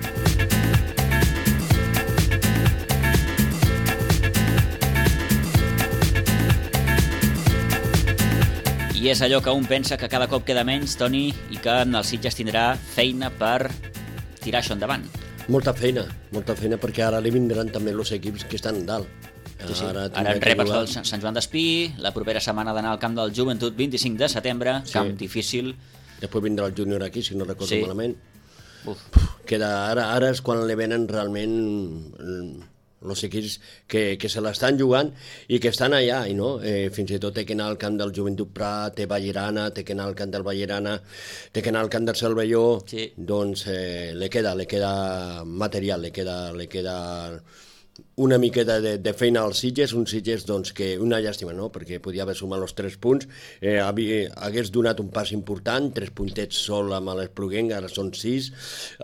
I és allò que un pensa que cada cop queda menys, Toni, i que el Sitges tindrà feina per tirar això endavant. Molta feina, perquè ara li vindran també els equips que estan dalt. Sí. Ara en rep el Sant Joan d'Espí, la propera setmana d'anar al camp del Joventut, 25 de setembre, camp difícil. Després vindrà el júnior aquí, si no recordo malament. Ara és quan li venen realment els equips que se l'estan jugant i que estan allà, no? Fins i tot té que anar al camp del Joventut Prat, té Vallirana, té que anar al camp del Vallirana, té que anar al camp del Cervelló, doncs li queda material, li queda una miqueta de feina als Sitges, un Sitges doncs, que una llàstima, no? Perquè podia haver sumat els 3 punts, hagués donat un pas important, 3 puntets sol amb l'Espluguenc, ara són 6,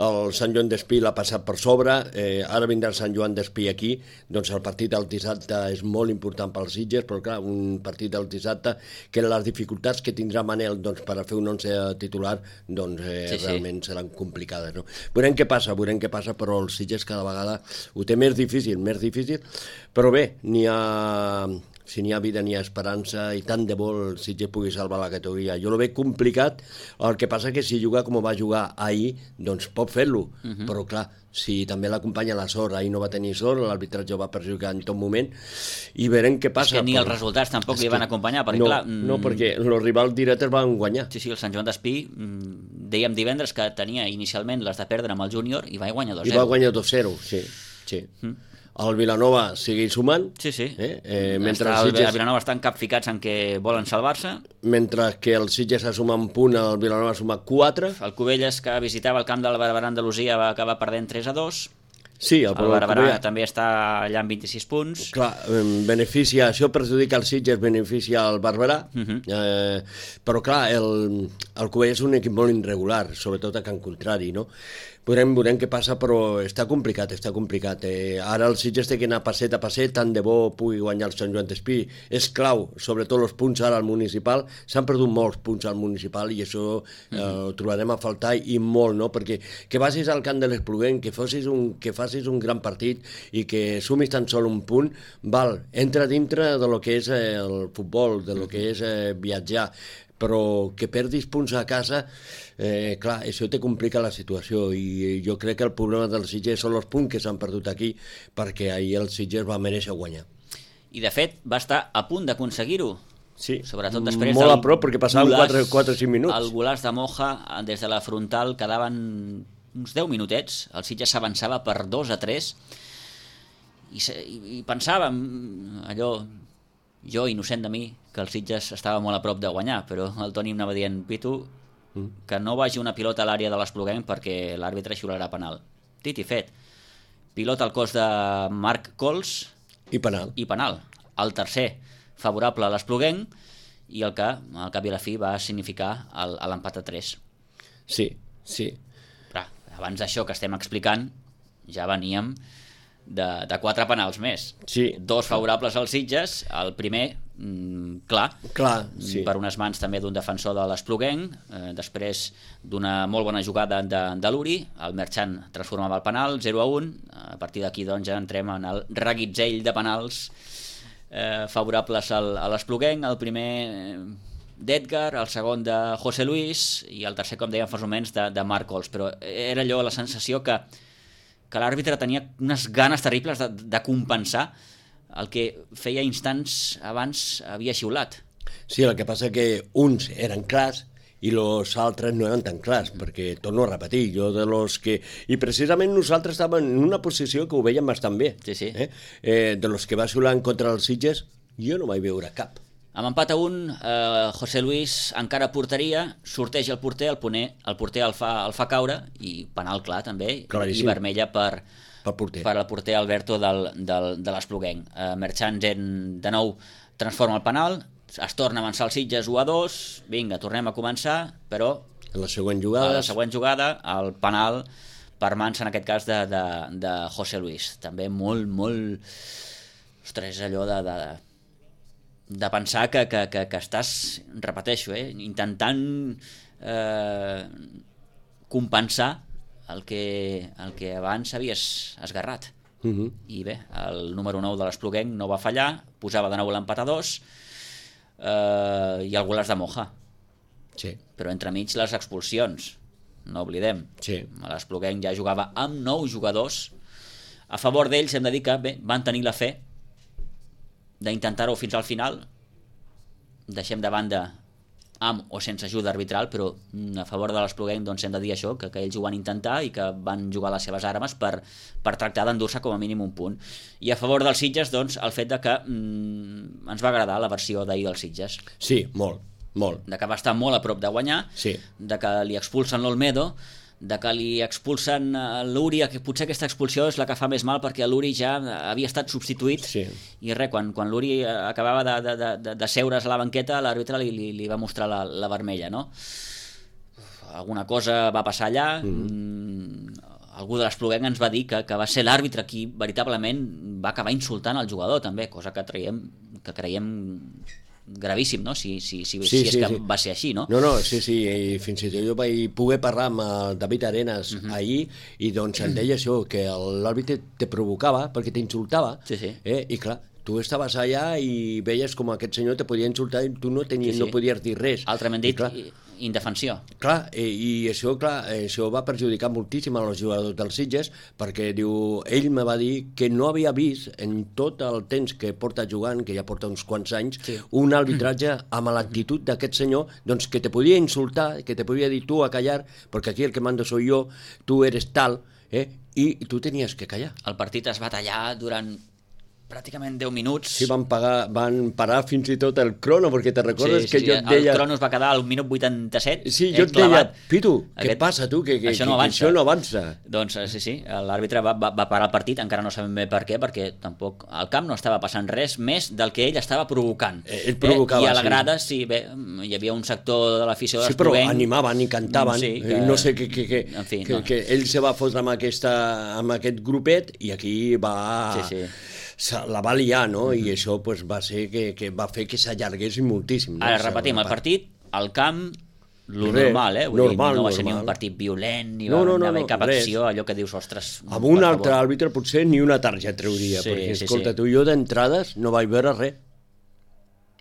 el Sant Joan d'Espí l'ha passat per sobre, ara vindrà el Sant Joan d'Espí aquí, doncs el partit del dissabte és molt important pels Sitges, però clar, un partit del dissabte que les dificultats que tindrà Manel doncs, per a fer un 11 titular doncs, realment seran complicades, no? Veurem què passa, però el Sitges cada vegada ho té més difícil, però bé, si n'hi ha vida n'hi ha esperança i tant de bo el Sitges pugui salvar la categoria. Jo lo veig complicat, el que passa que si juga com va jugar ahir, doncs pot fer-lo, però clar, si també l'acompanya la sort, ahir no va tenir sort, l'arbitratge ho va perjudicar en tot moment, i veurem què passa. És que ni els resultats tampoc li van acompanyar, perquè clar... No, perquè els rivals directes van guanyar. Sí, el Sant Joan d'Espí, dèiem divendres que tenia inicialment les de perdre amb el júnior i va guanyar 2-0. I va guanyar 2-0, sí. El Vilanova segueix sumant. Mentre el Vilanova estan capficats en que volen salvar-se. Mentre que el Sitges ha sumat un punt, el Vilanova ha sumat 4. El Cubelles, que visitava el camp del Barberà Andalusia, va acabar perdent 3-2. Sí, el Barberà també està allà amb 26 punts. Clar, això perjudica el Sitges, beneficia el Barberà, però clar, el Cubelles és un equip molt irregular, sobretot a Can Contrari, no? Veurem què passa, però està complicat. Ara el Sitges té que anar passet a passet, tant de bo pugui guanyar el Sant Joan d'Espí. És clau, sobretot els punts ara al municipal. S'han perdut molts punts al municipal i això ho trobarem a faltar i molt, no? Perquè que vagis al camp de l'Espluguenc, que facis un gran partit i que sumis tan sol un punt, entra dintre de lo que és el futbol, de lo que és viatjar, però que perdis punts a casa, clar, això te complica la situació i jo crec que el problema del Sitges són els punts que s'han perdut aquí, perquè ahir el Sitges va mereixer guanyar. I de fet va estar a punt d'aconseguir-ho. Sí, sobretot després molt a prop, perquè passaven 4 o 5 minuts. El golaç de Moja, des de la frontal, quedaven uns 10 minutets, el Sitges s'avançava per 2-3 i pensàvem allò, jo, innocent de mi, que el Sitges estava molt a prop de guanyar, però el Toni em anava dient, Pitu, que no vagi una pilota a l'àrea de l'Espluguenc perquè l'àrbitre xiularà penal. Dit i fet. Pilota al cos de Marc Cols. I penal. El tercer, favorable a l'Espluguenc, i el que, al cap i a la fi, va significar l'empat a 3. Sí. Però abans d'això que estem explicant, ja veníem de 4 penals més. Sí. 2 favorables als Sitges, el primer, clar, sí. Per unes mans també d'un defensor de l'Espluguenc, després d'una molt bona jugada de l'Uri, el Merchant transformava el penal, 0-1, a partir d'aquí doncs ja entrem en el reguitzell de penals favorables a l'Espluguenc, el primer d'Edgar, el segon de José Luis i el tercer, com dèiem fa uns moments, de Marc Cols, però era allò la sensació que l'àrbitre tenia unes ganes terribles de compensar el que feia instants abans havia xiulat. Sí, el que passa que uns eren clars i els altres no eren tan clars, perquè torno a repetir, jo de los que... I precisament nosaltres estàvem en una posició que ho veiem bastant bé. Sí. De los que va xular en contra dels Sitges, jo no vaig veure cap. Amb empat a 1, José Luis encara porteria, sorteja el porter, el porter el fa caure, i penal clar també, i vermella per el porter Alberto de l'Espluguenc. Merchants de nou transforma el penal, es torna a avançar els Sitges 1-2, vinga, tornem a començar, però en la següent jugada el penal per mans, en aquest cas, de José Luis. També molt... Ostres, allò de pensar que estàs, repeteixo, intentant compensar el que abans havies esgarrat. I bé, el número 9 de l'Espluguenc no va fallar, posava de nou l'empat a 2, i el gol és de Moja. Sí. Però entremig les expulsions, no oblidem. Sí. L'Espluguenc ja jugava amb 9 jugadors. A favor d'ells hem de dir que van tenir la fe d'intentar-ho fins al final. Deixem de banda amb o sense ajuda arbitral, però a favor de l'Espluguenc hem de dir això, que ells ho van intentar i que van jugar les seves armes per tractar d'endur-se com a mínim un punt. I a favor dels Sitges, el fet de que ens va agradar la versió d'ahir dels Sitges. Sí, molt. De que va estar molt a prop de guanyar, de que li expulsen l'Olmedo, de que li expulsen l'Uri, que potser aquesta expulsió és la que fa més mal perquè l'Uri ja havia estat substituït, i res, quan l'Uri acabava de seure's a la banqueta, l'àrbitre li va mostrar la vermella, no? Alguna cosa va passar allà, algú de l'Espluguenc ens va dir que va ser l'àrbitre qui veritablement va acabar insultant el jugador també, cosa que creiem gravíssim, no? Si és que va ser així, no? No, sí, i fins i tot jo vaig poder parlar amb el David Arenas ahir, i doncs em deia això, que l'àrbitre te provocava perquè t'insultava, i clar, tu estaves allà i veies com aquest senyor te podia insultar i tu no podies dir res. Altrament dit, indefensió. Clar, i això va perjudicar moltíssim als jugadors dels Sitges, perquè ell me va dir que no havia vist en tot el temps que porta jugant, que ja porta uns quants anys, un arbitratge amb l'actitud d'aquest senyor, doncs que te podia insultar, que te podia dir tu a callar, perquè aquí el que mando soy yo, tu eres tal, i tu tenies que callar. El partit es va tallar durant pràcticament 10 minuts. Sí, van parar fins i tot el crono, perquè te recordes que jo et deia... El crono es va quedar al minut 87. Sí, jo et deia, Pitu, què passa tu? Que això no avança. Doncs sí, l'àrbitre va parar el partit, encara no sabem bé per què, perquè tampoc al camp no estava passant res més del que ell estava provocant. Ell provocava, I a la grada, sí, bé, hi havia un sector de l'afició de l'Espluguenc... Sí, però animaven i cantaven. No sé que ell se va fotre amb aquest grupet i aquí va... la va liar, no? I això va ser que va fer que s'allargués moltíssim. Ara repetim, el partit, al camp, lo normal, no va ser ni un partit violent, ni va haver cap acció, allò que dius, ostres... Amb un altre àrbitre potser ni una targeta trauria, perquè, escolta, tu i jo d'entrades no vaig veure res.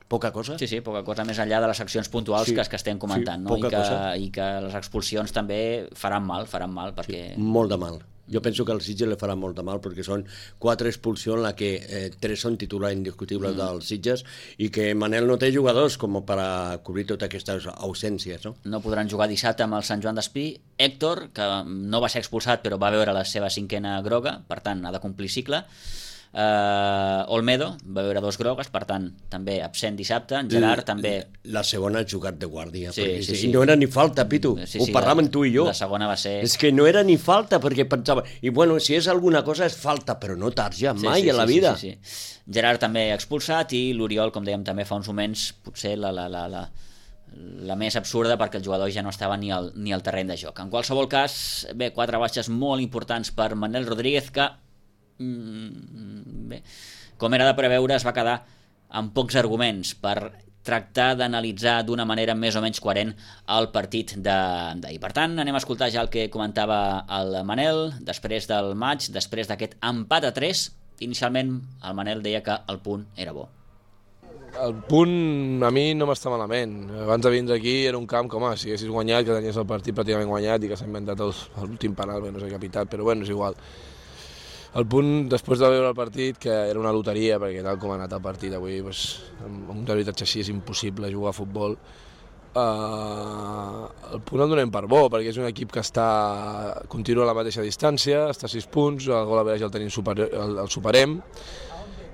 Poca cosa. Sí, poca cosa, més enllà de les accions puntuals que estem comentant, no? I que les expulsions també faran mal, perquè... Molt de mal. Jo penso que al Sitges li farà molt de mal perquè són 4 expulsions en la que 3 són titulars indiscutibles dels Sitges i que Manel no té jugadors com per a cobrir totes aquestes ausències, no? No podran jugar dissabte amb el Sant Joan d'Espí. Héctor, que no va ser expulsat però va veure la seva 5a groga, per tant ha de complir cicle. Olmedo va veure 2 grogues, per tant també absent dissabte. En Gerard també... La segona ha jugat de guàrdia, sí. No era ni falta, Pitu, ho parlàvem tu i jo. La segona va ser... És que no era ni falta, perquè pensava, i bueno, si és alguna cosa és falta, però no tarja mai a la vida. Gerard també expulsat i l'Oriol, com dèiem també fa uns moments, potser la més absurda perquè el jugador ja no estava ni al terreny de joc. En qualsevol cas, bé, 4 baixes molt importants per Manel Rodríguez, que bé, com era de preveure, es va quedar amb pocs arguments per tractar d'analitzar d'una manera més o menys coherent el partit d'ahir. Per tant, anem a escoltar ja el que comentava el Manel després del maig, després d'aquest empat a 3. Inicialment el Manel deia que el punt era bo. El punt a mi no m'està malament. Abans de vindre aquí era un camp com si haguessis guanyat, que tenies el partit pràcticament guanyat i que s'ha inventat l'últim penal, no sé què ha pitat, però bueno, és igual. El punt, després de veure el partit, que era una loteria, perquè tal com ha anat el partit avui, amb un arbitratge així és impossible jugar a futbol, el punt el donem per bo, perquè és un equip que continua a la mateixa distància, està a 6 punts, el gol average el superem,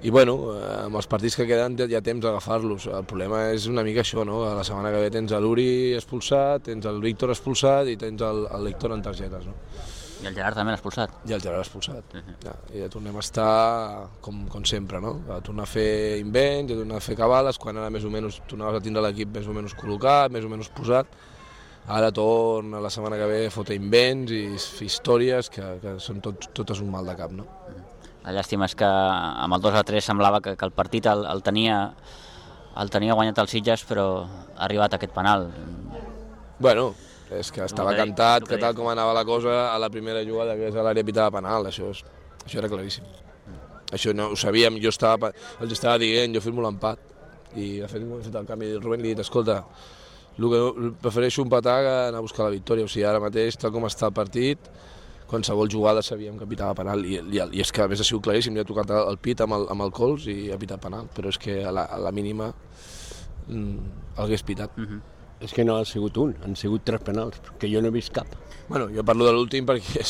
i bueno, amb els partits que queden hi ha temps d'agafar-los. El problema és una mica això, no? La setmana que ve tens l'Uri expulsat, tens el Víctor expulsat i tens l'Héctor en targetes, no? I el Gerard també l'ha expulsat. I el Gerard expulsat. I ja tornem a estar com sempre, no? A tornar a fer invents, a tornar a fer cabales, quan ara més o menys tornaves a tindre l'equip més o menys col·locat, més o menys posat. Ara torna la setmana que ve a fotre invents i fer històries que són totes un mal de cap, no? La llàstima és que amb el 2-3 semblava que el partit el tenia guanyat el Sitges, però ha arribat aquest penal. Bueno, és que estava cantat que tal com anava la cosa a la primera jugada, que és a l'àrea pitava penal, això era claríssim. Això no ho sabíem, els estava dient, jo firmo l'empat. I de fet, hem fet el canvi del Rubén i li he dit, escolta, prefereixo empatar que anar a buscar la victòria. O sigui, ara mateix, tal com està el partit, qualsevol jugada sabíem que pitava penal. I és que a més ha sigut claríssim, li ha tocat el pit amb el cols i ha pitat penal. Però és que a la mínima l'hagués pitat. És que no ha sigut un, han sigut 3 penals, que jo no he vist cap. Bueno, jo parlo de l'últim perquè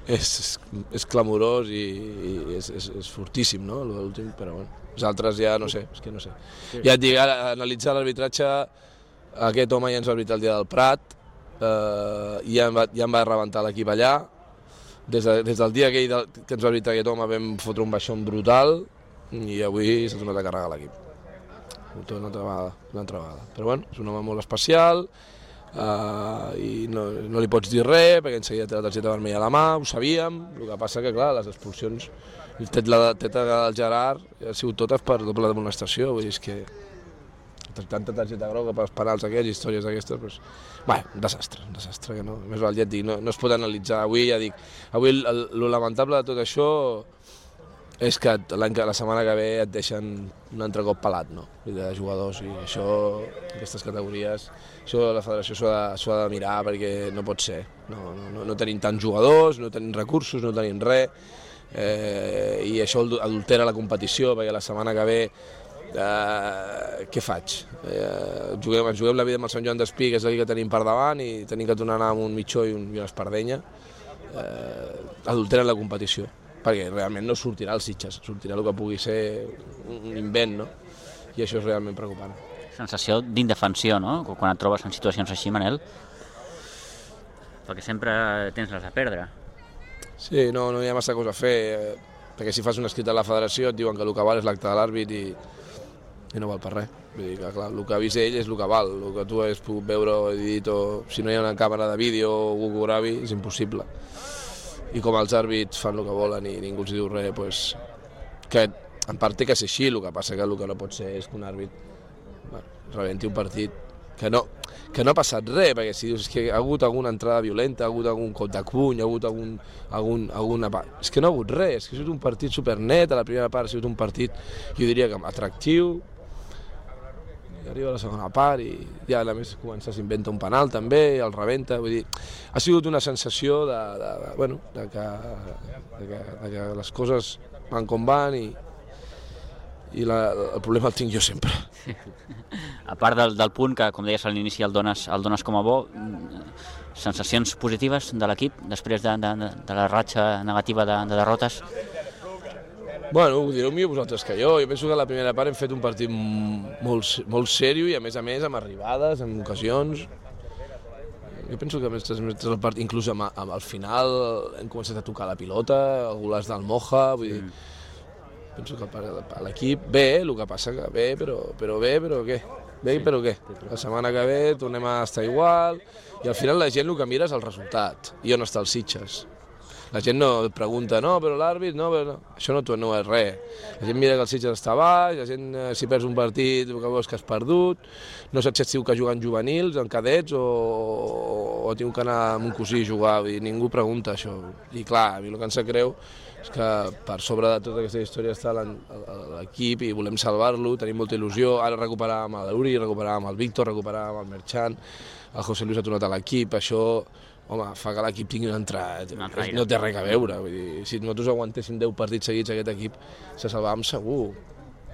és clamorós i és fortíssim, no?, l'últim, però bueno, els altres ja no sé, és que no sé. Ja et dic, ara, analitzar l'arbitratge, aquest home ja ens va arbitrar el dia del Prat, ja em va rebentar l'equip allà, des del dia que ens va arbitrar aquest home vam fotre un baixón brutal i avui s'ha tornat a carregar l'equip. Una altra vegada. Però bueno, és un home molt especial i no li pots dir res perquè enseguida té la targeta vermella a la mà, ho sabíem, el que passa que clar, les expulsions, el teta del Gerard ha sigut totes per doble d'amonestació, vull dir, és que tanta targeta groga per els penals aquests, històries d'aquestes, doncs, un desastre que no, més val, ja et dic, no es pot analitzar avui, ja dic, avui el lamentable de tot això és que la setmana que ve et deixen un altre cop pelat, no?, de jugadors, i això, aquestes categories, això la federació s'ho ha de mirar perquè no pot ser. No tenim tants jugadors, no tenim recursos, no tenim res, i això adultera la competició, perquè la setmana que ve què faig? Juguem la vida amb el Sant Joan d'Espí, que és el que tenim per davant, i tenim que tornar a anar amb un mitjó i una espardenya, adulteren la competició, perquè realment no sortirà el Sitges, sortirà el que pugui ser un invent, no? I això és realment preocupant. Sensació d'indefensió, no?, quan et trobes en situacions així, Manel? Perquè sempre tens les a perdre. Sí, no hi ha massa cosa a fer, perquè si fas un escrit a la federació et diuen que el que val és l'acte de l'àrbit i no val per res. Vull dir que, clar, el que ha vist ell és el que val, el que tu has pogut veure o dit, o si no hi ha una càmera de vídeo o algú que ho gravi, és impossible. I com els àrbits fan el que volen i ningú els diu res, doncs, que en part té que ser així, el que passa que el que no pot ser és que un àrbit rebenti un partit que no ha passat res, perquè si dius que ha hagut alguna entrada violenta, ha hagut algun cop de puny, ha hagut alguna part... És que no ha hagut res, és que ha sigut un partit supernet, a la primera part ha sigut un partit, jo diria que atractiu, i arriba a la segona part i ja a més s'inventa un penal també, el rebenta, vull dir, ha sigut una sensació de que les coses van com van i el problema el tinc jo sempre. A part del punt que, com deies a l'inici, el dones com a bo, sensacions positives de l'equip després de la ratxa negativa de derrotes? Bueno, ho direu millor vosaltres que jo. Jo penso que a la primera part hem fet un partit molt seriós i a més amb arribades, amb ocasions. Jo penso que el partit, inclús al final hem començat a tocar la pilota, el golaç del Moja, vull dir, penso que l'equip bé, el que passa que bé, però què? Bé, però què? La setmana que ve tornem a estar igual i al final la gent el que mira és el resultat i on està el Sitges. La gent no et pregunta, no, però l'àrbit, no, però no. Això no és res. La gent mira que el Sitges està baix, la gent si perds un partit que veus que has perdut, no saps si que juguen juvenils, en cadets, o tinc que anar amb un cosí a jugar, i ningú pregunta això. I clar, a mi el que em sap greu és que per sobre de tota aquesta història està l'equip i volem salvar-lo, tenim molta il·lusió, ara recuperàvem l'Uri, recuperàvem el Víctor, recuperàvem el Merchan, el José Luis ha tornat a l'equip, això... Home, fa que l'equip tingui una entrada, no té res a veure, vull dir, si nosaltres aguantéssim 10 partits seguits aquest equip se salvàvem segur,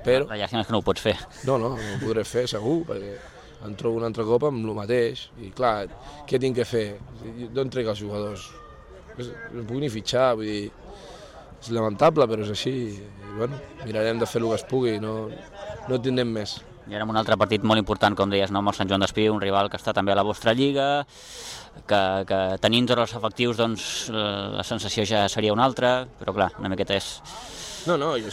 però... La llàstima és que no ho pots fer. No ho podré fer segur, perquè em trobo un altre cop amb el mateix, i clar, què tinc que fer? D'on trec els jugadors? No puc ni fitxar, vull dir, és lamentable, però és així, i bueno, mirarem de fer el que es pugui, no tindrem més. I ara amb un altre partit molt important, com deies, no? Amb el Sant Joan d'Espí, un rival que està també a la vostra lliga, que tenint tots els efectius, doncs, la sensació ja seria una altra, però clar, una miqueta és... No, jo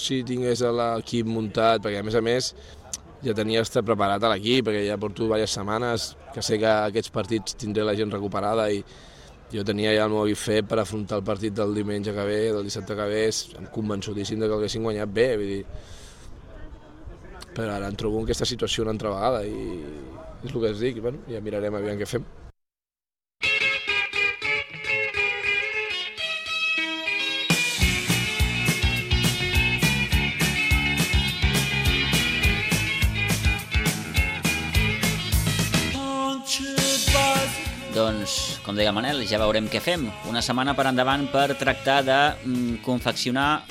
si tingués l'equip muntat, perquè a més ja tenia estar preparat a l'equip, perquè ja porto diverses setmanes que sé que aquests partits tindré la gent recuperada i jo tenia ja el meu equip fet per afrontar el partit del diumenge que ve, del dissabte que ve, em convençudíssim que haguessin guanyat bé, vull dir... Però ara em trobo en aquesta situació una altra vegada i és el que es dic, bueno, ja mirarem aviam què fem. Doncs, com deia el Manel, ja veurem què fem. Una setmana per endavant per tractar de confeccionar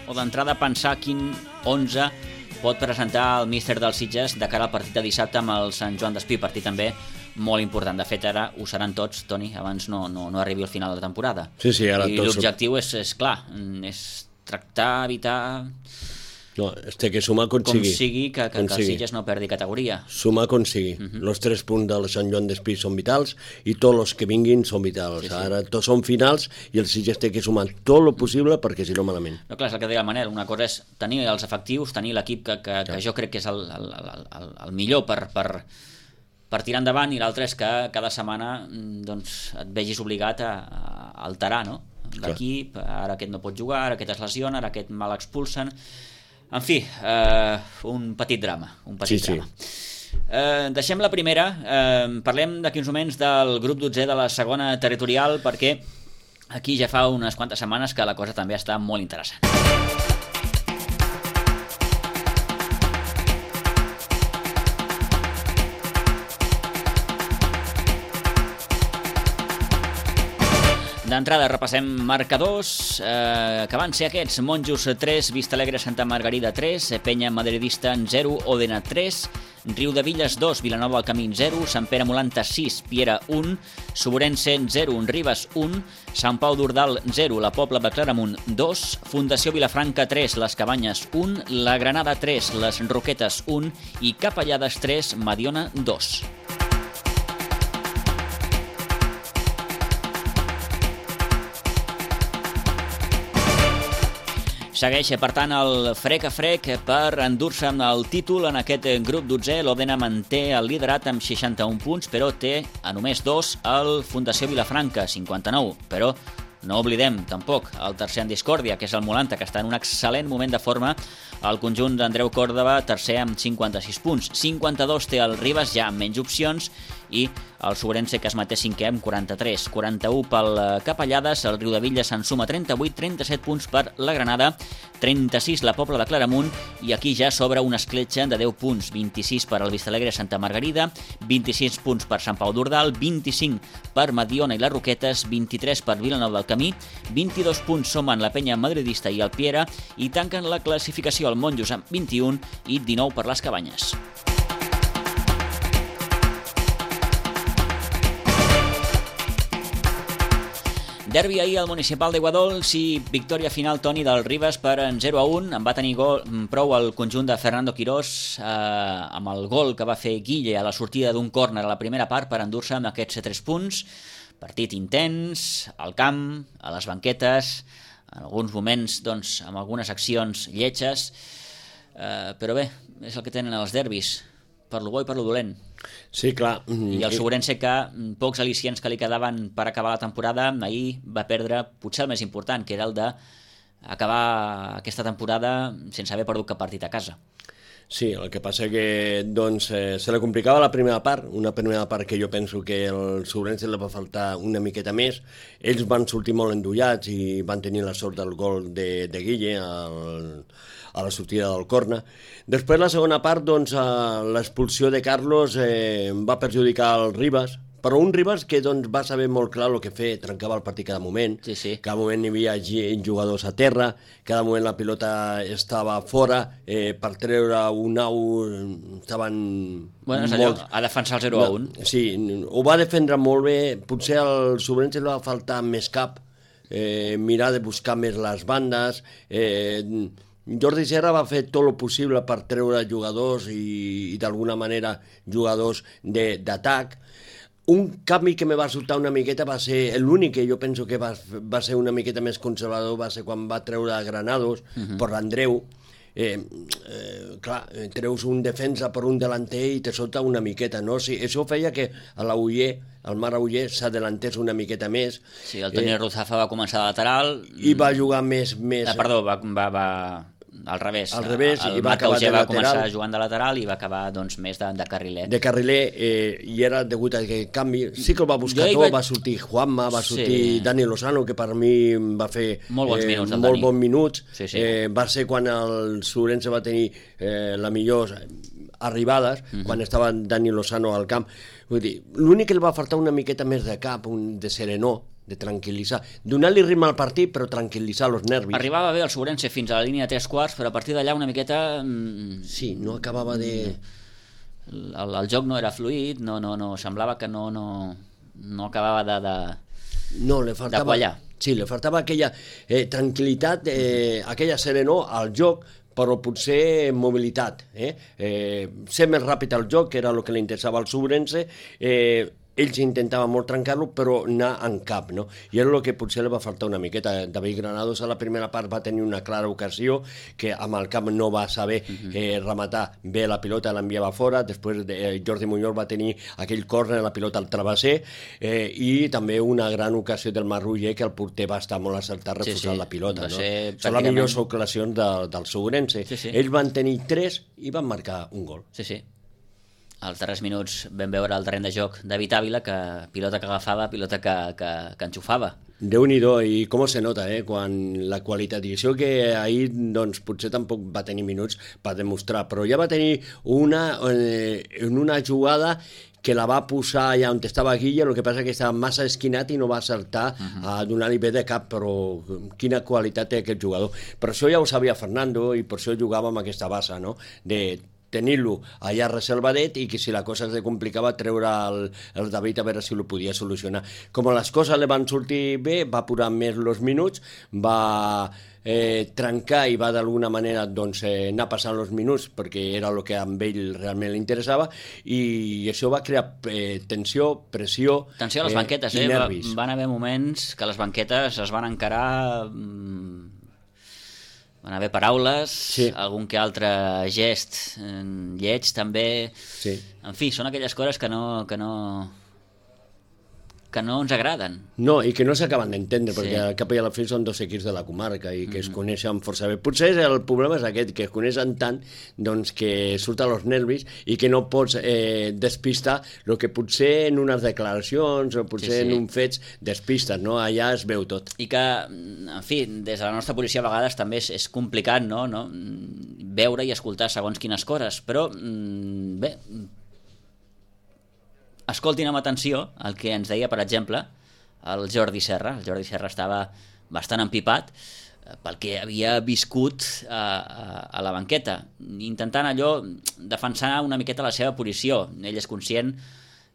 o d'entrada pensar quin 11 pot presentar el míster dels Sitges de cara al partit de dissabte amb el Sant Joan d'Espí, partit també molt important. De fet, ara ho seran tots, Toni, abans no arribi al final de la temporada. Sí, ara i l'objectiu és clar, és tractar, evitar... No, té que sumar com sigui que el Sitges no perdi categoria. Sumar com sigui. Els 3 punts del Sant Joan d'Espí són vitals i tots els que vinguin són vitals. Ara tots són finals i el Sitges té que sumar tot el possible perquè si no malament. No, clar, és el que deia el Manel. Una cosa és tenir els efectius, tenir l'equip que jo crec que és el millor per tirar endavant, i l'altre és que cada setmana doncs, et vegis obligat a alterar, no? L'equip, ara aquest no pot jugar, ara aquest es lesiona, ara aquest mal expulsen... En fi, un petit drama. Deixem la primera, parlem d'aquí uns moments del grup 12 de la segona territorial, perquè aquí ja fa unes quantes setmanes que la cosa també està molt interessant. D'entrada repassem marcadors, que van ser aquests: Monjos 3, Vistalegre Santa Margarida 3, Penya Madridista 0, Òdena 3, Riudevilles 2, Vilanova del Camí 0, Sant Pere Molanta 6, Piera 1, Soborense 0, Ribes 1, Sant Pau d'Ordal 0, la Pobla de Claramunt 2, Fundació Vilafranca 3, Les Cabanyes 1, la Granada 3, Les Roquetes 1 i Capellades 3, Mediona 2. Segueix, per tant, el frec a frec per endur-se el títol en aquest grup 12. L'Òdena manté el liderat amb 61 punts, però té a només 2 el Fundació Vilafranca, 59. Però no oblidem tampoc el tercer en discòrdia, que és el Molanta, que està en un excel·lent moment de forma. El conjunt d'Andreu Còrdova, tercer amb 56 punts. 52 té el Ribes, ja amb menys opcions, i el Soborense, que es manté cinquè amb 43. 41 pel Capellades, el Riudevilles se'n suma 38, 37 punts per la Granada, 36 la Pobla de Claramunt, i aquí ja s'obre una escletxa de 10 punts, 26 per al Vistalegre Santa Margarida, 26 punts per Sant Pau d'Ordal, 25 per Mediona i les Roquetes, 23 per Vilanova del Camí, 22 punts sumen la Penya Madridista i el Piera, i tanquen la classificació el Monjos amb 21 i 19 per les Cabanyes. Derbi ahir al Municipal d'Iguadols i victòria final, Toni, del Ribes per 0-1. En va tenir prou el conjunt de Fernando Quirós amb el gol que va fer Guille a la sortida d'un córner a la primera part per endur-se amb aquests 3 punts. Partit intens, al camp, a les banquetes, en alguns moments doncs, amb algunes accions lletges, però bé, és el que tenen els derbis, per lo bo i per lo dolent. Sí, clar. I el Soborense, que pocs al·licients que li quedaven per acabar la temporada, ahir va perdre potser el més important, que era el d'acabar aquesta temporada sense haver perdut cap partit a casa. Sí, el que passa que doncs, se li complicava la primera part, una primera part que jo penso que el Soborense li va faltar una miqueta més. Ells van sortir molt endollats i van tenir la sort del gol de Guille a la sortida del córner. Després, la segona part, doncs, l'expulsió de Carlos va perjudicar el Ribes, Però un Ribas que doncs, va saber molt clar el que fer, trencava el partit cada moment, cada moment hi havia jugadors a terra, cada moment la pilota estava fora, per treure un out estaven... Bueno, és allò, a defensar el 0-1. Sí, ho va defendre molt bé, potser al Sobrense li va faltar més cap, mirar de buscar més les bandes, Jordi Serra va fer tot el possible per treure jugadors i d'alguna manera jugadors d'atac. Un canvi que me va resultar una miqueta va ser, l'únic que jo penso que va ser una miqueta més conservador va ser quan va treure Granados per l'Andreu. Clar, treus un defensa per un delanter i te solta una miqueta, no? Sí, això feia que el Mar Auller s'adelantés una miqueta més. Sí, el Toni Ruzafa va començar de lateral. I va jugar més... Perdó, va al revés. Al revés, el i va Marc acabar Auger de va lateral. començar jugant de lateral i va acabar doncs, més de carriler. De carriler, i era degut a aquest canvi. Sí que el va buscar tot, va sortir Juanma, va sortir Dani Lozano, que per mi va fer molt bons minuts. Va ser quan el Sobrense va tenir la millor arribades, quan estava Dani Lozano al camp. Vull dir, l'únic que li va faltar una miqueta més de cap, de serenor, de tranquil·litzar, donar-li ritme al partit però tranquil·litzar els nervis. Arribava bé el Sobrense fins a la línia de 3/4, però a partir d'allà una miqueta... Sí, no acabava de... El joc no era fluid, no semblava que no acabava de quallar. Sí, li faltava aquella tranquil·litat, aquella serenor al joc, però potser mobilitat. Ser més ràpid al joc, que era el que li interessava al Sobrense, ells intentaven molt trencar-lo, però anar en cap, no? I era el que potser li va faltar una miqueta. David Granados a la primera part va tenir una clara ocasió que amb el cap no va saber rematar bé la pilota, l'enviava fora. Després Jordi Muñoz va tenir aquell córner, la pilota al travesser, i també una gran ocasió del Marruller, que el porter va estar molt acertat refusant la pilota. Són les millors ocasions del Sobrense. Ells van tenir 3 i van marcar un gol. Sí. Als darrers minuts vam veure el terreny de joc David Ávila, que pilota que agafava, pilota que enxufava. Déu-n'hi-do, i com se nota, quan la qualitat, i això que ahir doncs, potser tampoc va tenir minuts per demostrar, però ja va tenir en una jugada que la va posar allà on estava Guilla, el que passa que estava massa esquinat i no va acertar a donar-li bé de cap, però quina qualitat té aquest jugador. Per això ja ho sabia Fernando i per això jugava amb aquesta base, no? De tenir-lo allà reservadet i que si la cosa es complicava treure el David a veure si ho podia solucionar. Com les coses li van sortir bé, va apurar més els minuts, va trencar i va d'alguna manera anar passant els minuts perquè era el que a ell realment li interessava, i això va crear tensió, pressió a les banquetes, i nervis. Van haver moments que les banquetes es van encarar, van haver paraules, algun que altre gest lleig també. En fi, són aquelles coses que no ens agraden. No, i que no s'acaben d'entendre, perquè al cap i a la fi són 2 equips de la comarca i que es coneixen força bé. Potser el problema és aquest, que es coneixen tant que surten els nervis i que no pots despistar el que potser en unes declaracions o potser en uns fets despistes, no? Allà es veu tot. I que, en fi, des de la nostra policia a vegades també és complicat, no? Veure i escoltar segons quines coses, però bé, escoltin amb atenció el que ens deia, per exemple, el Jordi Serra. El Jordi Serra estava bastant empipat pel que havia viscut a la banqueta, intentant allò defensar una miqueta la seva posició. Ell és conscient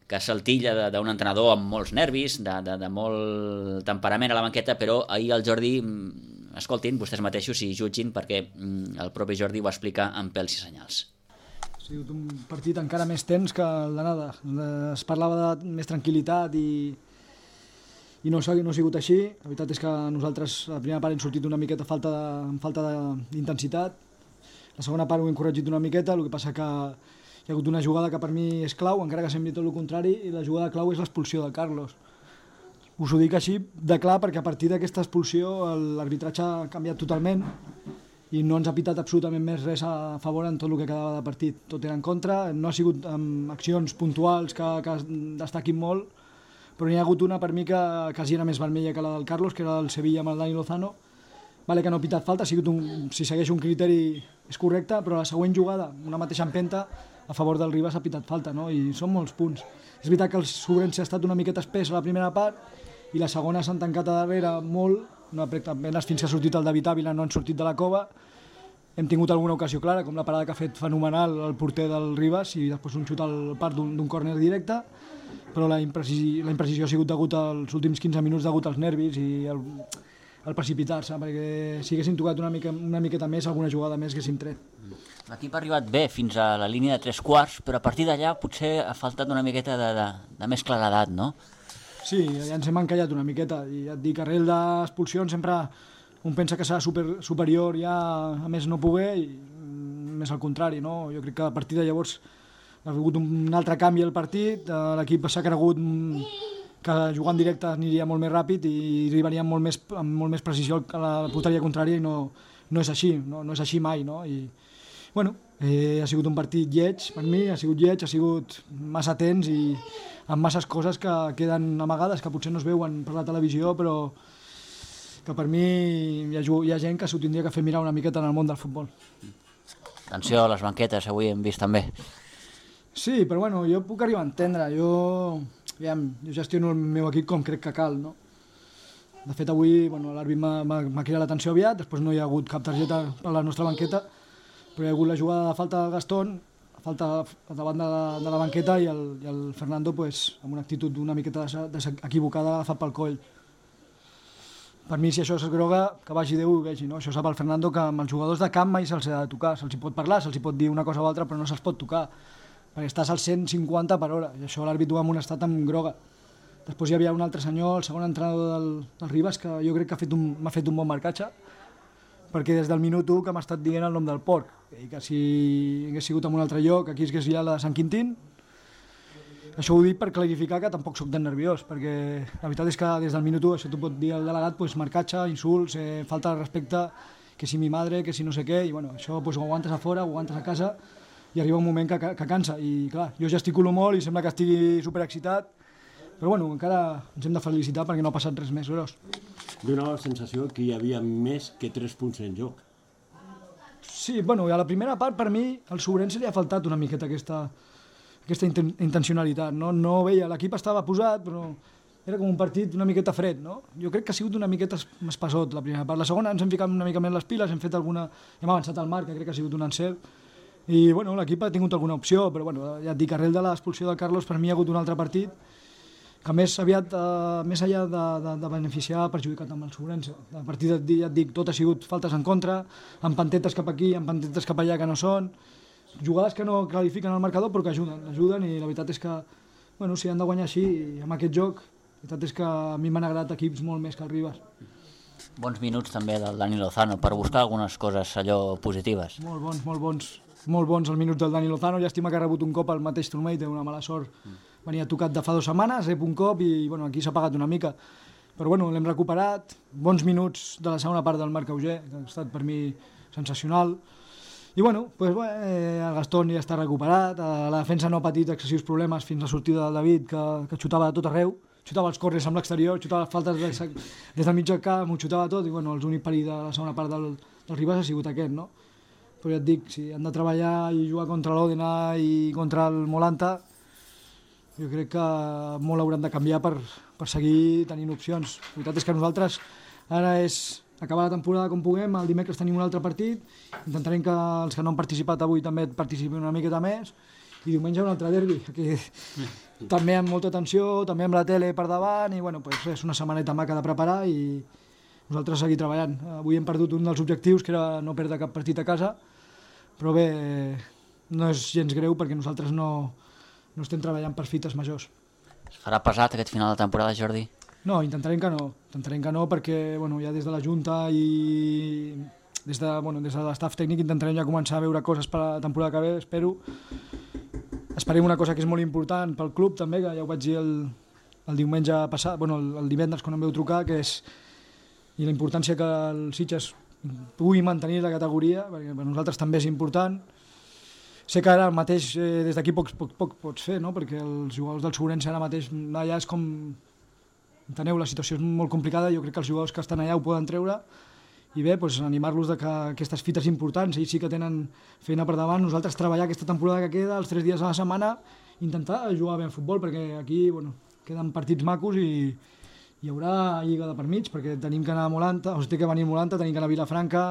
que s'altilla d'un entrenador amb molts nervis, de molt temperament a la banqueta, però ahir el Jordi, escoltin, vostès mateixos i jutgin, perquè el propi Jordi ho explica amb pèls i senyals. Ha sigut un partit encara més tens que el d'anada. Es parlava de més tranquil·litat i no ha sigut així. La veritat és que nosaltres a la primera part hem sortit una miqueta amb falta d'intensitat. La segona part ho hem corregit una miqueta, el que passa que hi ha hagut una jugada que per mi és clau, encara que sembli tot el contrari, i la jugada clau és l'expulsió de Carlos. Us ho dic així de clar perquè a partir d'aquesta expulsió l'arbitratge ha canviat totalment i no ens ha pitat absolutament més res a favor en tot el que quedava de partit. Tot era en contra, no ha sigut amb accions puntuals que destaquin molt, però n'hi ha hagut una per mi que quasi era més vermella que la del Carlos, que era del Sevilla amb el Dani Lozano, Vale que no ha pitat falta, si segueix un criteri és correcte, però la següent jugada, una mateixa empenta, a favor del Ribas ha pitat falta, no? I són molts punts. És veritat que el Sobrense ha estat una miqueta espès a la primera part i la segona s'han tancat a darrere molt, no, apenas fins que ha sortit el David Ávila no han sortit de la cova. Hem tingut alguna ocasió clara, com la parada que ha fet fenomenal el porter del Ribas i després un xut al part d'un córner directe, però la imprecisió ha sigut degut als últims 15 minuts, degut als nervis i al precipitar-se, perquè si haguessin tocat una miqueta més, alguna jugada més haguéssim tret. L'equip ha arribat bé fins a la línia de 3/4, però a partir d'allà potser ha faltat una miqueta de més claredat, no? Sí, ja ens hem encallat una miqueta, i ja et dic, arrel d'expulsions sempre un pensa que serà superior ja a més no poder, i més al contrari, no? Jo crec que a partir de llavors ha hagut un altre canvi al partit, l'equip s'ha cregut que jugant directe aniria molt més ràpid i arribaria amb molt més precisió a la porteria contrària, i no és així, no és així mai, no? I bueno, ha sigut un partit lleig per mi, ha sigut massa tens i amb masses coses que queden amagades, que potser no es veuen per la televisió, però que per mi hi ha gent que s'ho tindria que fer mirar una miqueta en el món del futbol. Atenció a les banquetes, avui hem vist també. Sí, però bueno, jo puc arribar a entendre, jo gestiono el meu equip com crec que cal, no? De fet, avui l'àrbit m'ha cridat l'atenció aviat, després no hi ha hagut cap targeta a la nostra banqueta, però hi ha hagut la jugada de falta del Gastón, falta davant de la banqueta, i el Fernando, amb una actitud una miqueta equivocada, agafat pel coll. Per mi, si això és groga, que vagi Déu i ho vegi, no? Això sap el Fernando, que amb els jugadors de camp mai se'ls ha de tocar, se'ls pot parlar, se'ls pot dir una cosa o altra, però no se'ls pot tocar, perquè estàs al 150 per hora, i això l'àrbit ho ha amonestat amb groga. Després hi havia un altre senyor, el segon entrenador del Ribas, que jo crec que m'ha fet un bon marcatge, perquè des del minut 1 que m'ha estat dient el nom del porc, i que si hagués sigut en un altre lloc, aquí hagués ja la de Sant Quintín. Això ho dic per clarificar que tampoc soc tan nerviós, perquè la veritat és que des del minut 1 això t'ho pot dir el delegat, marcatge, insults, falta de respecte, que si mi madre, que si no sé què, i bueno, això ho aguantes a fora, ho aguantes a casa, i arriba un moment que cansa, i clar, jo gesticulo molt i sembla que estigui superexcitat, però bueno, encara ens hem de felicitar perquè no ha passat res més gros. Donava la sensació que hi havia més que 3 punts en joc. Sí, bueno, a la primera part per mi al Sobrense li ha faltat una miqueta aquesta intencionalitat, no veia, l'equip estava posat, però era com un partit una miqueta fred, no? Jo crec que ha sigut una miqueta espessot la primera part. La segona ens hem ficat una mica més les piles, hem avançat al marc, que crec que ha sigut un encert, i bueno, l'equip ha tingut alguna opció, però bueno, ja et dic, arrel de l'expulsió del Carlos, per mi hi ha hagut un altre partit que més aviat, més enllà de beneficiar, ha perjudicat amb el Sobrense. A partir de, ja et dic, tot ha sigut faltes en contra, amb pantetes cap aquí, amb pantetes cap allà que no són, jugades que no clarifiquen el marcador però que ajuden, i la veritat és que bueno, si han de guanyar així amb aquest joc, la veritat és que a mi m'han agradat equips molt més que el Ribas. Bons minuts també del Dani Lozano per buscar algunes coses allò positives. Molt bons els minuts del Dani Lozano. Llàstima que ha rebut un cop al mateix turmell, té una mala sort, venia tocat de fa 2 setmanes, rep un cop i bueno, aquí s'ha pagat una mica, però bueno, l'hem recuperat, bons minuts de la segona part del Marc Auger, que ha estat per mi sensacional. I bueno, el Gastón ja està recuperat, la defensa no ha patit excessius problemes fins a la sortida del David, que xutava de tot arreu, xutava els córners amb l'exterior, xutava les faltes des del mig del camp, ho xutava tot, i bueno, l'únic perill de la segona part del Ribas ha sigut aquest, no? Però ja et dic, si han de treballar i jugar contra l'Òdena i contra el Molanta, jo crec que molt hauran de canviar per seguir tenint opcions. La veritat és que nosaltres ara és acabar la temporada com puguem, el dimecres tenim un altre partit, intentarem que els que no han participat avui també participin una miqueta més, i diumenge un altre derbi, que també amb molta tensió, també amb la tele per davant, i bueno, és una setmaneta maca de preparar i nosaltres seguir treballant. Avui hem perdut un dels objectius, que era no perdre cap partit a casa, però bé, no és gens greu perquè nosaltres no estem treballant per fites majors. Es farà pesat aquest final de temporada, Jordi? No, intentarem que no, perquè bueno, ja des de la Junta i des de l'estaf tècnic intentarem ja començar a veure coses per la temporada que ve, espero. Esperem una cosa que és molt important pel club també, que ja ho vaig dir el diumenge passat, el divendres quan em veu trucar, que és i la importància que el Sitges pugui mantenir la categoria, perquè per nosaltres també és important. Sé que ara mateix des d'aquí poc pots fer, no? Perquè els jugadors del Sobrense ara mateix allà és com... Enteneu, la situació és molt complicada, jo crec que els jugadors que estan allà ho poden treure bé, doncs, animar-los que aquestes fites importants, ells sí que tenen feina per davant, nosaltres treballar aquesta temporada que queda, els 3 dies a la setmana, intentar jugar bé en futbol, perquè aquí queden partits macos i hi haurà lliga de per mig, perquè tenim que anar a Molanta, té que venir a Molanta, tenim que anar a Vilafranca,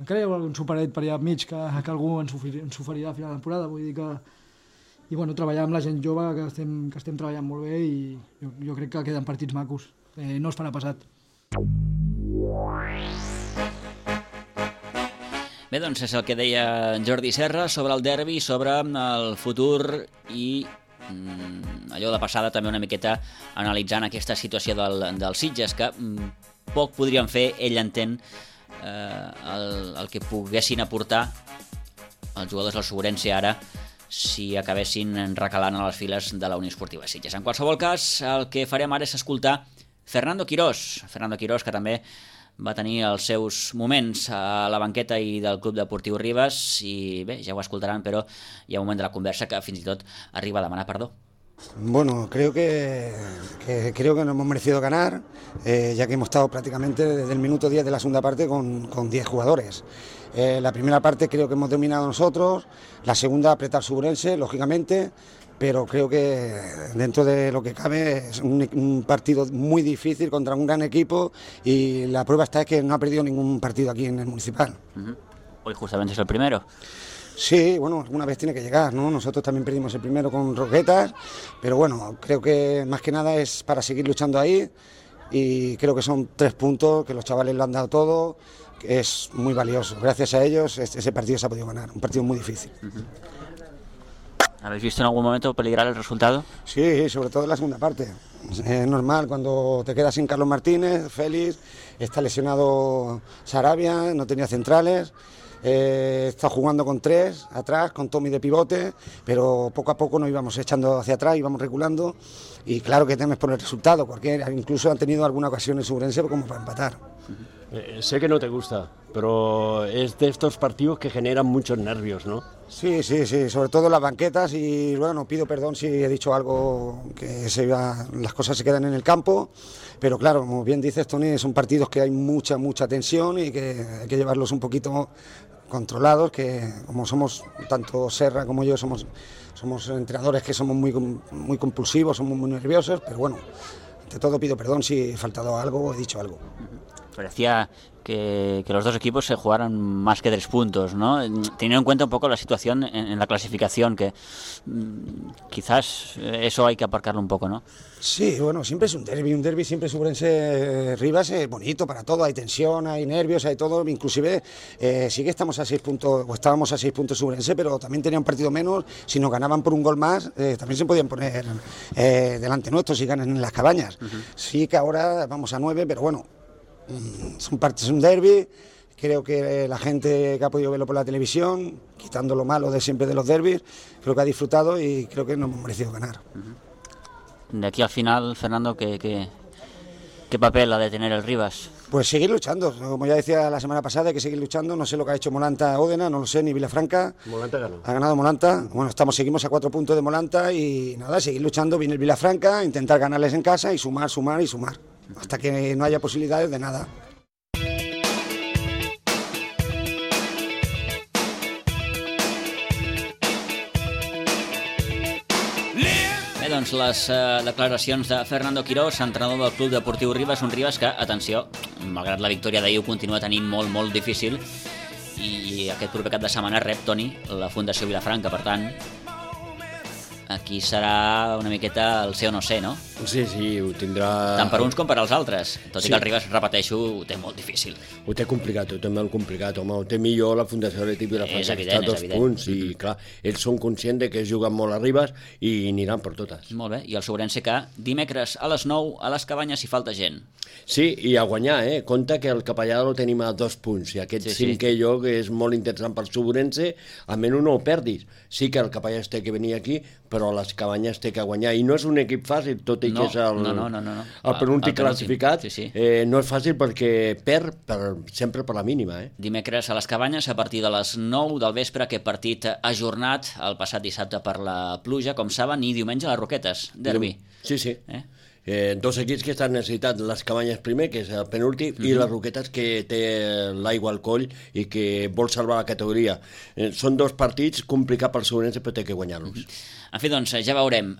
encara hi haurà algun superet per allà mig que algú ens oferirà a final de temporada, vull dir que treballar amb la gent jove, que estem treballant molt bé i jo crec que queden partits macos, no es farà pesat. Bé, doncs és el que deia Jordi Serra sobre el derbi, sobre el futur i allò de passada també una miqueta analitzant aquesta situació del Sitges, que poc podrien fer, ell entén el que poguessin aportar els jugadors del Sobrense ara si acabessin recalant a les files de la Unió Esportiva Sitges. En qualsevol cas, el que farem ara és escoltar Fernando Quirós, que també va tenir els seus moments a la banqueta i del Club Deportiu Rivas, i bé, ja ho escoltaran, però hi ha un moment de la conversa que fins i tot arriba a demanar perdó. Bueno, creo que no hemos merecido ganar, ya que hemos estado prácticamente desde el minuto 10 de la segunda parte con 10 jugadores. La primera parte creo que hemos dominado nosotros, la segunda apretar Sobrense, lógicamente, pero creo que dentro de lo que cabe es un partido muy difícil contra un gran equipo y la prueba está es que no ha perdido ningún partido aquí en el Municipal. Hoy justamente es el primero. Sí, bueno, alguna vez tiene que llegar, ¿no? Nosotros también perdimos el primero con Roquetas, pero bueno, creo que más que nada es para seguir luchando ahí y creo que son 3 puntos, que los chavales lo han dado todo, que es muy valioso. Gracias a ellos ese partido se ha podido ganar, un partido muy difícil. ¿Habéis visto en algún momento peligrar el resultado? Sí, sobre todo en la segunda parte. Es normal cuando te quedas sin Carlos Martínez, Félix, está lesionado Sarabia, no tenía centrales, está jugando con 3 atrás, con Tommy de pivote, pero poco a poco nos íbamos echando hacia atrás, íbamos reculando y claro que temes por el resultado, porque incluso han tenido alguna ocasión en Sobrense como para empatar. Sé que no te gusta, pero es de estos partidos que generan muchos nervios, ¿no? Sí, sobre todo en las banquetas y bueno, pido perdón si he dicho algo que las cosas se quedan en el campo, pero claro, como bien dices, Tony, son partidos que hay mucha tensión y que hay que llevarlos un poquito controlados, que como somos, tanto Serra como yo, somos entrenadores que somos muy compulsivos, somos muy nerviosos, pero bueno, ante todo pido perdón si he faltado algo o he dicho algo. Parecía que los dos equipos se jugaran más que 3 puntos, ¿no? Teniendo en cuenta un poco la situación en la clasificación, que quizás eso hay que aparcarlo un poco, ¿no? Sí, bueno, siempre es un derbi siempre Sobrense Rivas es bonito para todo, hay tensión, hay nervios, hay todo, inclusive sí que estamos a 6 puntos, o estábamos a 6 puntos Sobrense, pero también tenían un partido menos, si nos ganaban por un gol más, también se podían poner delante nuestros si ganan en las Cabañas. Sí que ahora vamos a 9, pero bueno, es un derbi, creo que la gente que ha podido verlo por la televisión, quitando lo malo de siempre de los derbis, creo que ha disfrutado y creo que no hemos merecido ganar. De aquí al final, Fernando, ¿qué papel ha de tener el Rivas? Pues seguir luchando, como ya decía la semana pasada, hay que seguir luchando, no sé lo que ha hecho Molanta Ódena, no lo sé, ni Vilafranca. Molanta ganó. Ha ganado Molanta, bueno, seguimos a 4 puntos de Molanta y nada, seguir luchando, viene el Vilafranca, intentar ganarles en casa y sumar, hasta que no haya posibilidades de nada. Bé, doncs les declaracions de Fernando Quirós, entrenador del Club Deportiu Rivas, un Rivas que, atenció, malgrat la victòria d'ahir ho continua tenint molt difícil i aquest proper cap de setmana rep, Toni, la Fundació Vilafranca, per tant aquí serà una miqueta el ser o no ser, no? Sí, ho tindrà... Tant per uns com per als altres, tot i que el Rivas, repeteixo, ho té molt difícil. Ho té complicat, home, ho té millor la Fundació Atlètic Vilafranca, que està a 2 punts, i clar, ells són conscients de que juguen molt a Rivas i aniran per totes. Molt bé, i el Sobrense que dimecres a les 9 a les Cabanyes hi falta gent. Sí, i a guanyar, compte que el Capellà lo tenim a 2 punts, i aquest cinquè lloc és molt interessant per Sobrense, almenys no ho perdis. Sí que el Capellà té que venir aquí, però les Cabanyes té que guanyar, i no és un equip fàcil, tot i que és el penúltim classificat, no és fàcil perquè perd sempre per la mínima. Dimecres a les Cabanyes, a partir de les 9 del vespre, aquest partit ajornat el passat dissabte per la pluja, com saben, i diumenge a les Roquetes, derbi. Sí. Dos equips que estan necessitant les Cabanyes primer, que és el penúltim, i les Roquetes, que té l'aigua al coll i que vol salvar la categoria. Són dos partits complicats pel Segurense, però té que guanyar-los. En fi, doncs, ja veurem.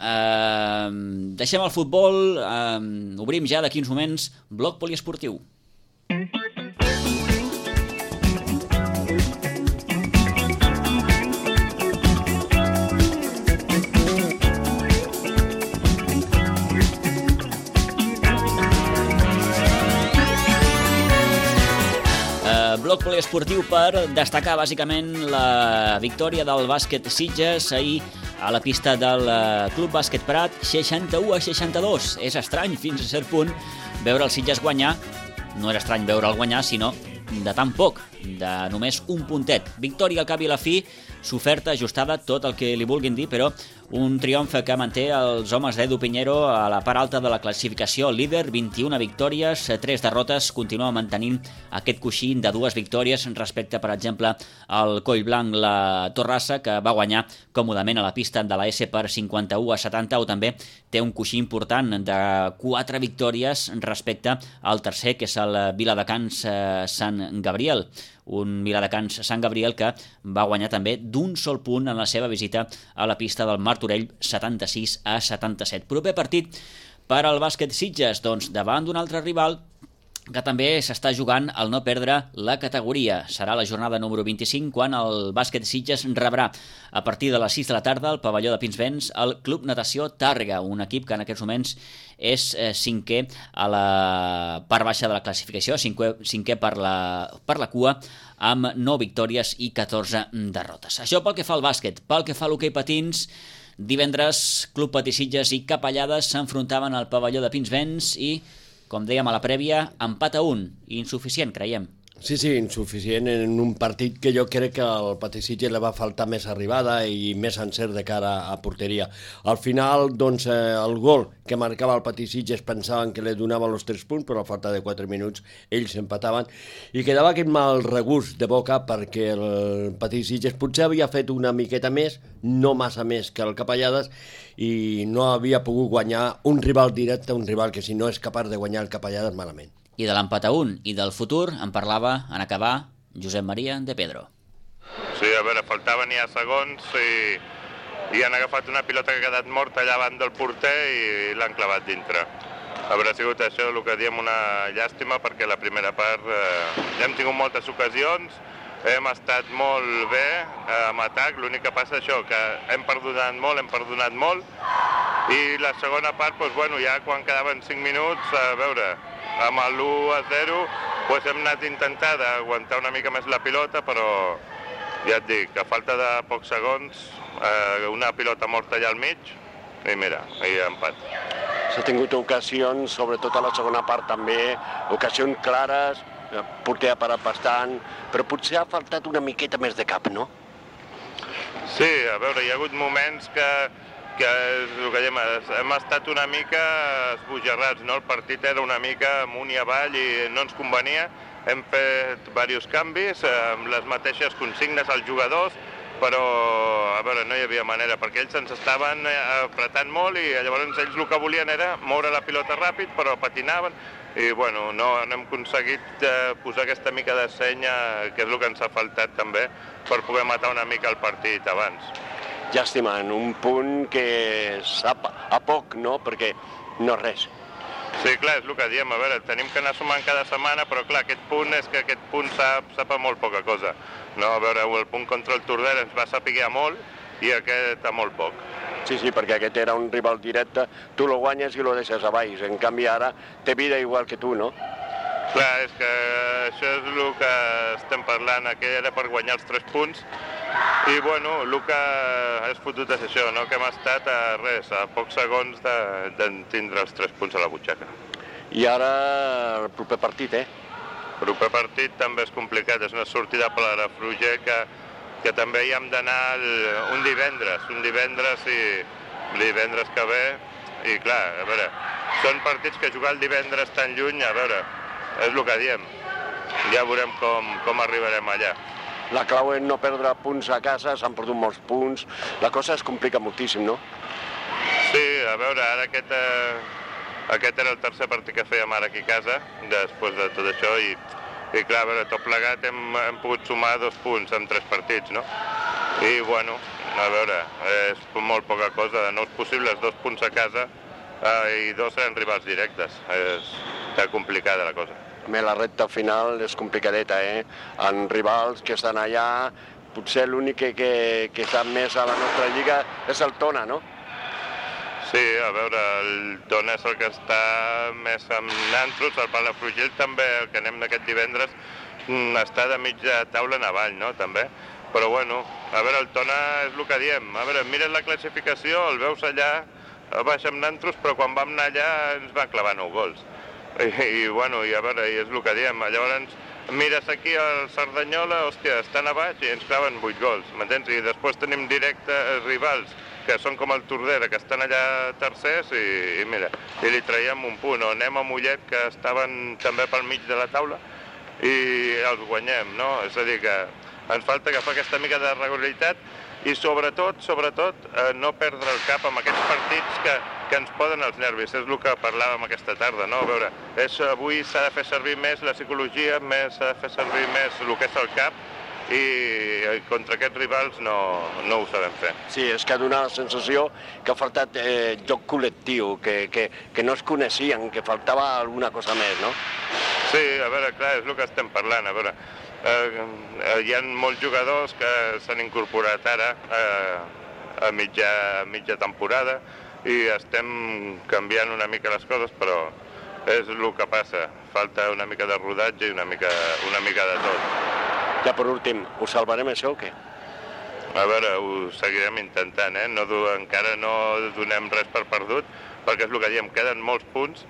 Deixem el futbol, obrim ja d'aquí uns moments bloc poliesportiu. Bloc poliesportiu per destacar bàsicament la victòria del bàsquet Sitges ahir a la pista del Club Bàsquet Prat, 61-62. És estrany, fins a cert punt, veure el Sitges guanyar. No era estrany veure'l guanyar, sinó de tan poc, de només un puntet. Victòria al cap i a la fi, s'oferta ajustada, tot el que li vulguin dir, però un triomf que manté els homes d'Edu Piñero a la part alta de la classificació. Líder, 21 victòries, 3 derrotes, continua mantenint aquest coixí de 2 victòries respecte, per exemple, al Collblanc, la Torrassa, que va guanyar còmodament a la pista de la S per 51-70, o també té un coixí important de 4 victòries respecte al tercer, que és el Viladecans Sant Gabriel. Un Viladecans Sant Gabriel que va guanyar també d'un sol punt en la seva visita a la pista del Martorell, 76-77. Proper partit per al bàsquet Sitges, doncs davant d'un altre rival que també s'està jugant al no perdre la categoria. Serà la jornada número 25 quan el bàsquet Sitges rebrà a partir de les 6 de la tarda al pavelló de Pinsbens el Club Natació Tàrrega, un equip que en aquests moments és cinquè a la part baixa de la classificació, cinquè per la cua, amb 9 victòries i 14 derrotes. Això pel que fa al bàsquet. Pel que fa a l'hoquei patins, divendres Club Patí Sitges i Capellades s'enfrontaven al pavelló de Pinsbens i, com dèiem a la prèvia, empat a 1, insuficient, creiem. Sí, insuficient en un partit que jo crec que al Patí Sitges li va faltar més arribada i més encert de cara a porteria. Al final, doncs, el gol que marcava el Patí Sitges pensaven que li donaven els 3 punts, però a falta de 4 minuts ells empataven i quedava aquest mal regust de boca perquè el Patí Sitges potser havia fet una miqueta més, no massa més que el Capellades, i no havia pogut guanyar un rival directe, un rival que si no és capaç de guanyar el Capellades, malament. I de l'empat a 1 i del futur en parlava, en acabar, Josep Maria de Pedro. Sí, a veure, faltaven ja segons i han agafat una pilota que ha quedat morta allà davant del porter i l'han clavat dintre. A veure, ha sigut això el que diem una llàstima perquè la primera part hem tingut moltes ocasions, hem estat molt bé amb atac, l'únic que passa això, que hem perdonat molt i la segona part, doncs, bueno, ja quan quedaven 5 minuts, a veure, amb l'1-0 doncs hem anat a intentar d'aguantar una mica més la pilota, però ja et dic, a falta de pocs segons, una pilota morta allà al mig, i mira, i empat. S'ha tingut ocasions, sobretot a la segona part també, ocasions clares, porter ha parat bastant, però potser ha faltat una miqueta més de cap, no? Sí, a veure, hi ha hagut moments que és el que diem, hem estat una mica esbojarrats, no? El partit era una mica amunt i avall i no ens convenia. Hem fet diversos canvis amb les mateixes consignes als jugadors, però a veure, no hi havia manera, perquè ells ens estaven apretant molt i llavors ells el que volien era moure la pilota ràpid, però patinaven i bueno, no hem aconseguit posar aquesta mica de senya, que és el que ens ha faltat també, per poder matar una mica el partit abans. Llàstima, en un punt que sap a poc, no? Perquè no és res. Sí, clar, és el que diem, a veure, tenim que anar sumant cada setmana, però clar, aquest punt és que aquest punt sap a molt poca cosa. No, a veure, el punt contra el Tordera ens va saber molt i aquest a molt poc. Sí, perquè aquest era un rival directe, tu lo guanyes i lo deixes a baix, en canvi ara té vida igual que tu, no? Clar, és que això és el que estem parlant, aquell era per guanyar els 3 punts, i bueno, el que és fotut és això, no? Que hem estat a pocs segons de tindre els 3 punts a la butxaca. I ara el proper partit, El proper partit també és complicat, és una sortida per la Fruger que també hi hem d'anar un divendres que ve, i clar, a veure, són partits que jugar el divendres tan lluny, a veure, és el que diem, ja veurem com arribarem allà. La clau és no perdre punts a casa, s'han perdut molts punts, la cosa es complica moltíssim, no? Sí, a veure, ara Aquest era el tercer partit que fèiem ara aquí a casa, després de tot això, i clar, a veure, tot plegat hem pogut sumar 2 punts en 3 partits, no? I, bueno, a veure, és molt poca cosa, no és possible, 2 punts a casa i 2 seran rivals directes, està complicada la cosa. La recta final és complicadeta, En rivals que estan allà, potser l'únic que està més a la nostra lliga és el Tona, no? Sí, a veure, el Tona és el que està més amb nantros, el Palafrugell també, el que anem aquest divendres, està de mitja taula en avall, no?, també. Però, bueno, a veure, el Tona és el que diem. A veure, mires la classificació, el veus allà, baix amb nantros, però quan vam anar allà ens van clavar 9 gols. I bueno, i a veure, i és el que diem. Llavors, mires aquí al Cerdanyola, hòstia, estan a baix i ens claven 8 gols, m'entens? I després tenim directes rivals que són com el Tordera, que estan allà tercers i mira, i li traiem un punt. O anem a Mollet, que estaven també pel mig de la taula, i els guanyem, no? És a dir, que ens falta agafar aquesta mica de regularitat i sobretot, no perdre el cap amb aquests partits que ens poden els nervis. És el que parlàvem aquesta tarda, no? A veure, avui s'ha de fer servir més la psicologia, s'ha de fer servir més el que és el cap, i contra aquests rivals no ho sabem fer. Sí, és que ha donat la sensació que ha faltat joc col·lectiu, que no es coneixien, que faltava alguna cosa més, no? Sí, a veure, clar, és el que estem parlant. A veure, hi ha molts jugadors que s'han incorporat ara a mitja temporada i estem canviant una mica les coses, però és el que passa. Falta una mica de rodatge i una mica de tot. Ja per últim, ho salvarem això o què? A veure, ho seguirem intentant, encara no donem res per perdut, perquè és el que diem, queden molts punts,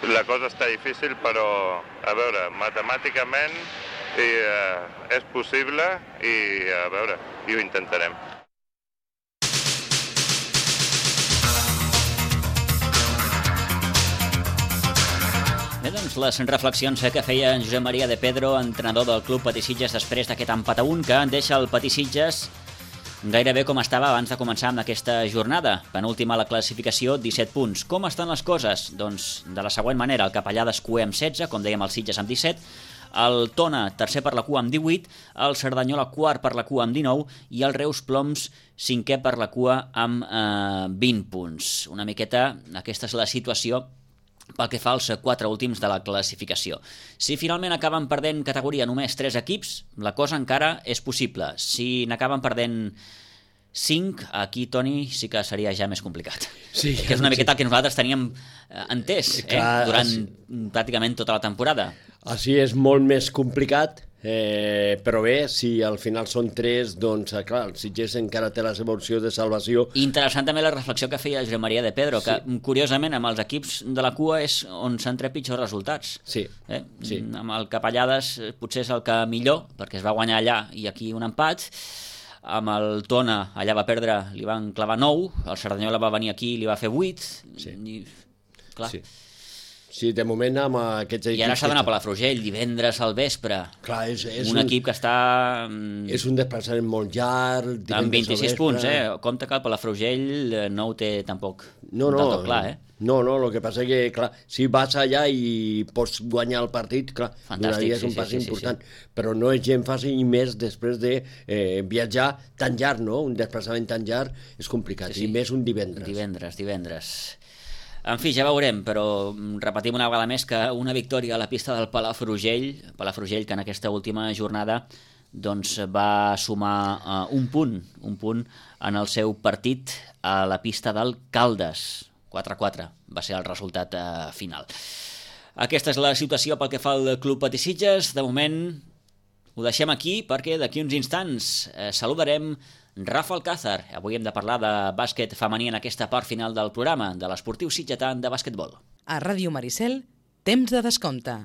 la cosa està difícil, però, a veure, matemàticament és possible i, a veure, i ho intentarem. Bé, doncs les reflexions que feia en Josep Maria de Pedro, entrenador del Club Patissitges, després d'aquest empat a 1, que deixa el Patissitges gairebé com estava abans de començar amb aquesta jornada. Penúltima a la classificació, 17 punts. Com estan les coses? Doncs de la següent manera, el Capellades cuer amb 16, com dèiem el Sitges amb 17, el Tona tercer per la cua amb 18, el Cerdanyola quart per la cua amb 19 i el Reus Ploms cinquè per la cua amb 20 punts. Una miqueta, aquesta és la situació pel que fa als 4 últims de la classificació. Si finalment acaben perdent categoria només 3 equips, la cosa encara és possible. Si n'acaben perdent 5, aquí, Toni, sí que seria ja més complicat. Sí, que és una miqueta el que nosaltres teníem entès durant pràcticament tota la temporada. Així és molt més complicat, però bé, si al final són 3, doncs clar, el Sitges encara té la seva opció de salvació. Interessant també la reflexió que feia Josep Maria de Pedro, que curiosament amb els equips de la cua és on s'han tret pitjors resultats. Sí. Amb el Capellades potser és el que millor, perquè es va guanyar allà i aquí un empat. Amb el Tona allà va perdre, li van clavar 9, el Cerdanyola va venir aquí i li va fer 8. Clar. Sí, de moment amb aquests equips... I ara s'ha d'anar a Palafrugell divendres al vespre. Clar, és un equip que està... És un desplaçament molt llarg... Amb 26 punts, Compte que el Palafrugell no ho té tampoc del tot clar, No, el que passa que, clar, si vas allà i pots guanyar el partit, clar, donaries un pas important. Però no és gent fàcil i més després de viatjar tan llarg, no? Un desplaçament tan llarg és complicat, i més un divendres. Divendres. En fi, ja veurem, però repetim una vegada més que una victòria a la pista del Palafrugell que en aquesta última jornada doncs, va sumar un punt en el seu partit a la pista del Caldes. 4-4 va ser el resultat final. Aquesta és la situació pel que fa al Club Patissitges. De moment ho deixem aquí perquè d'aquí uns instants saludarem Rafa Alcázar. Avui hem de parlar de bàsquet femení en aquesta part final del programa, de l'esportiu sitgetà de bàsquetbol. A Ràdio Maricel, temps de descompte.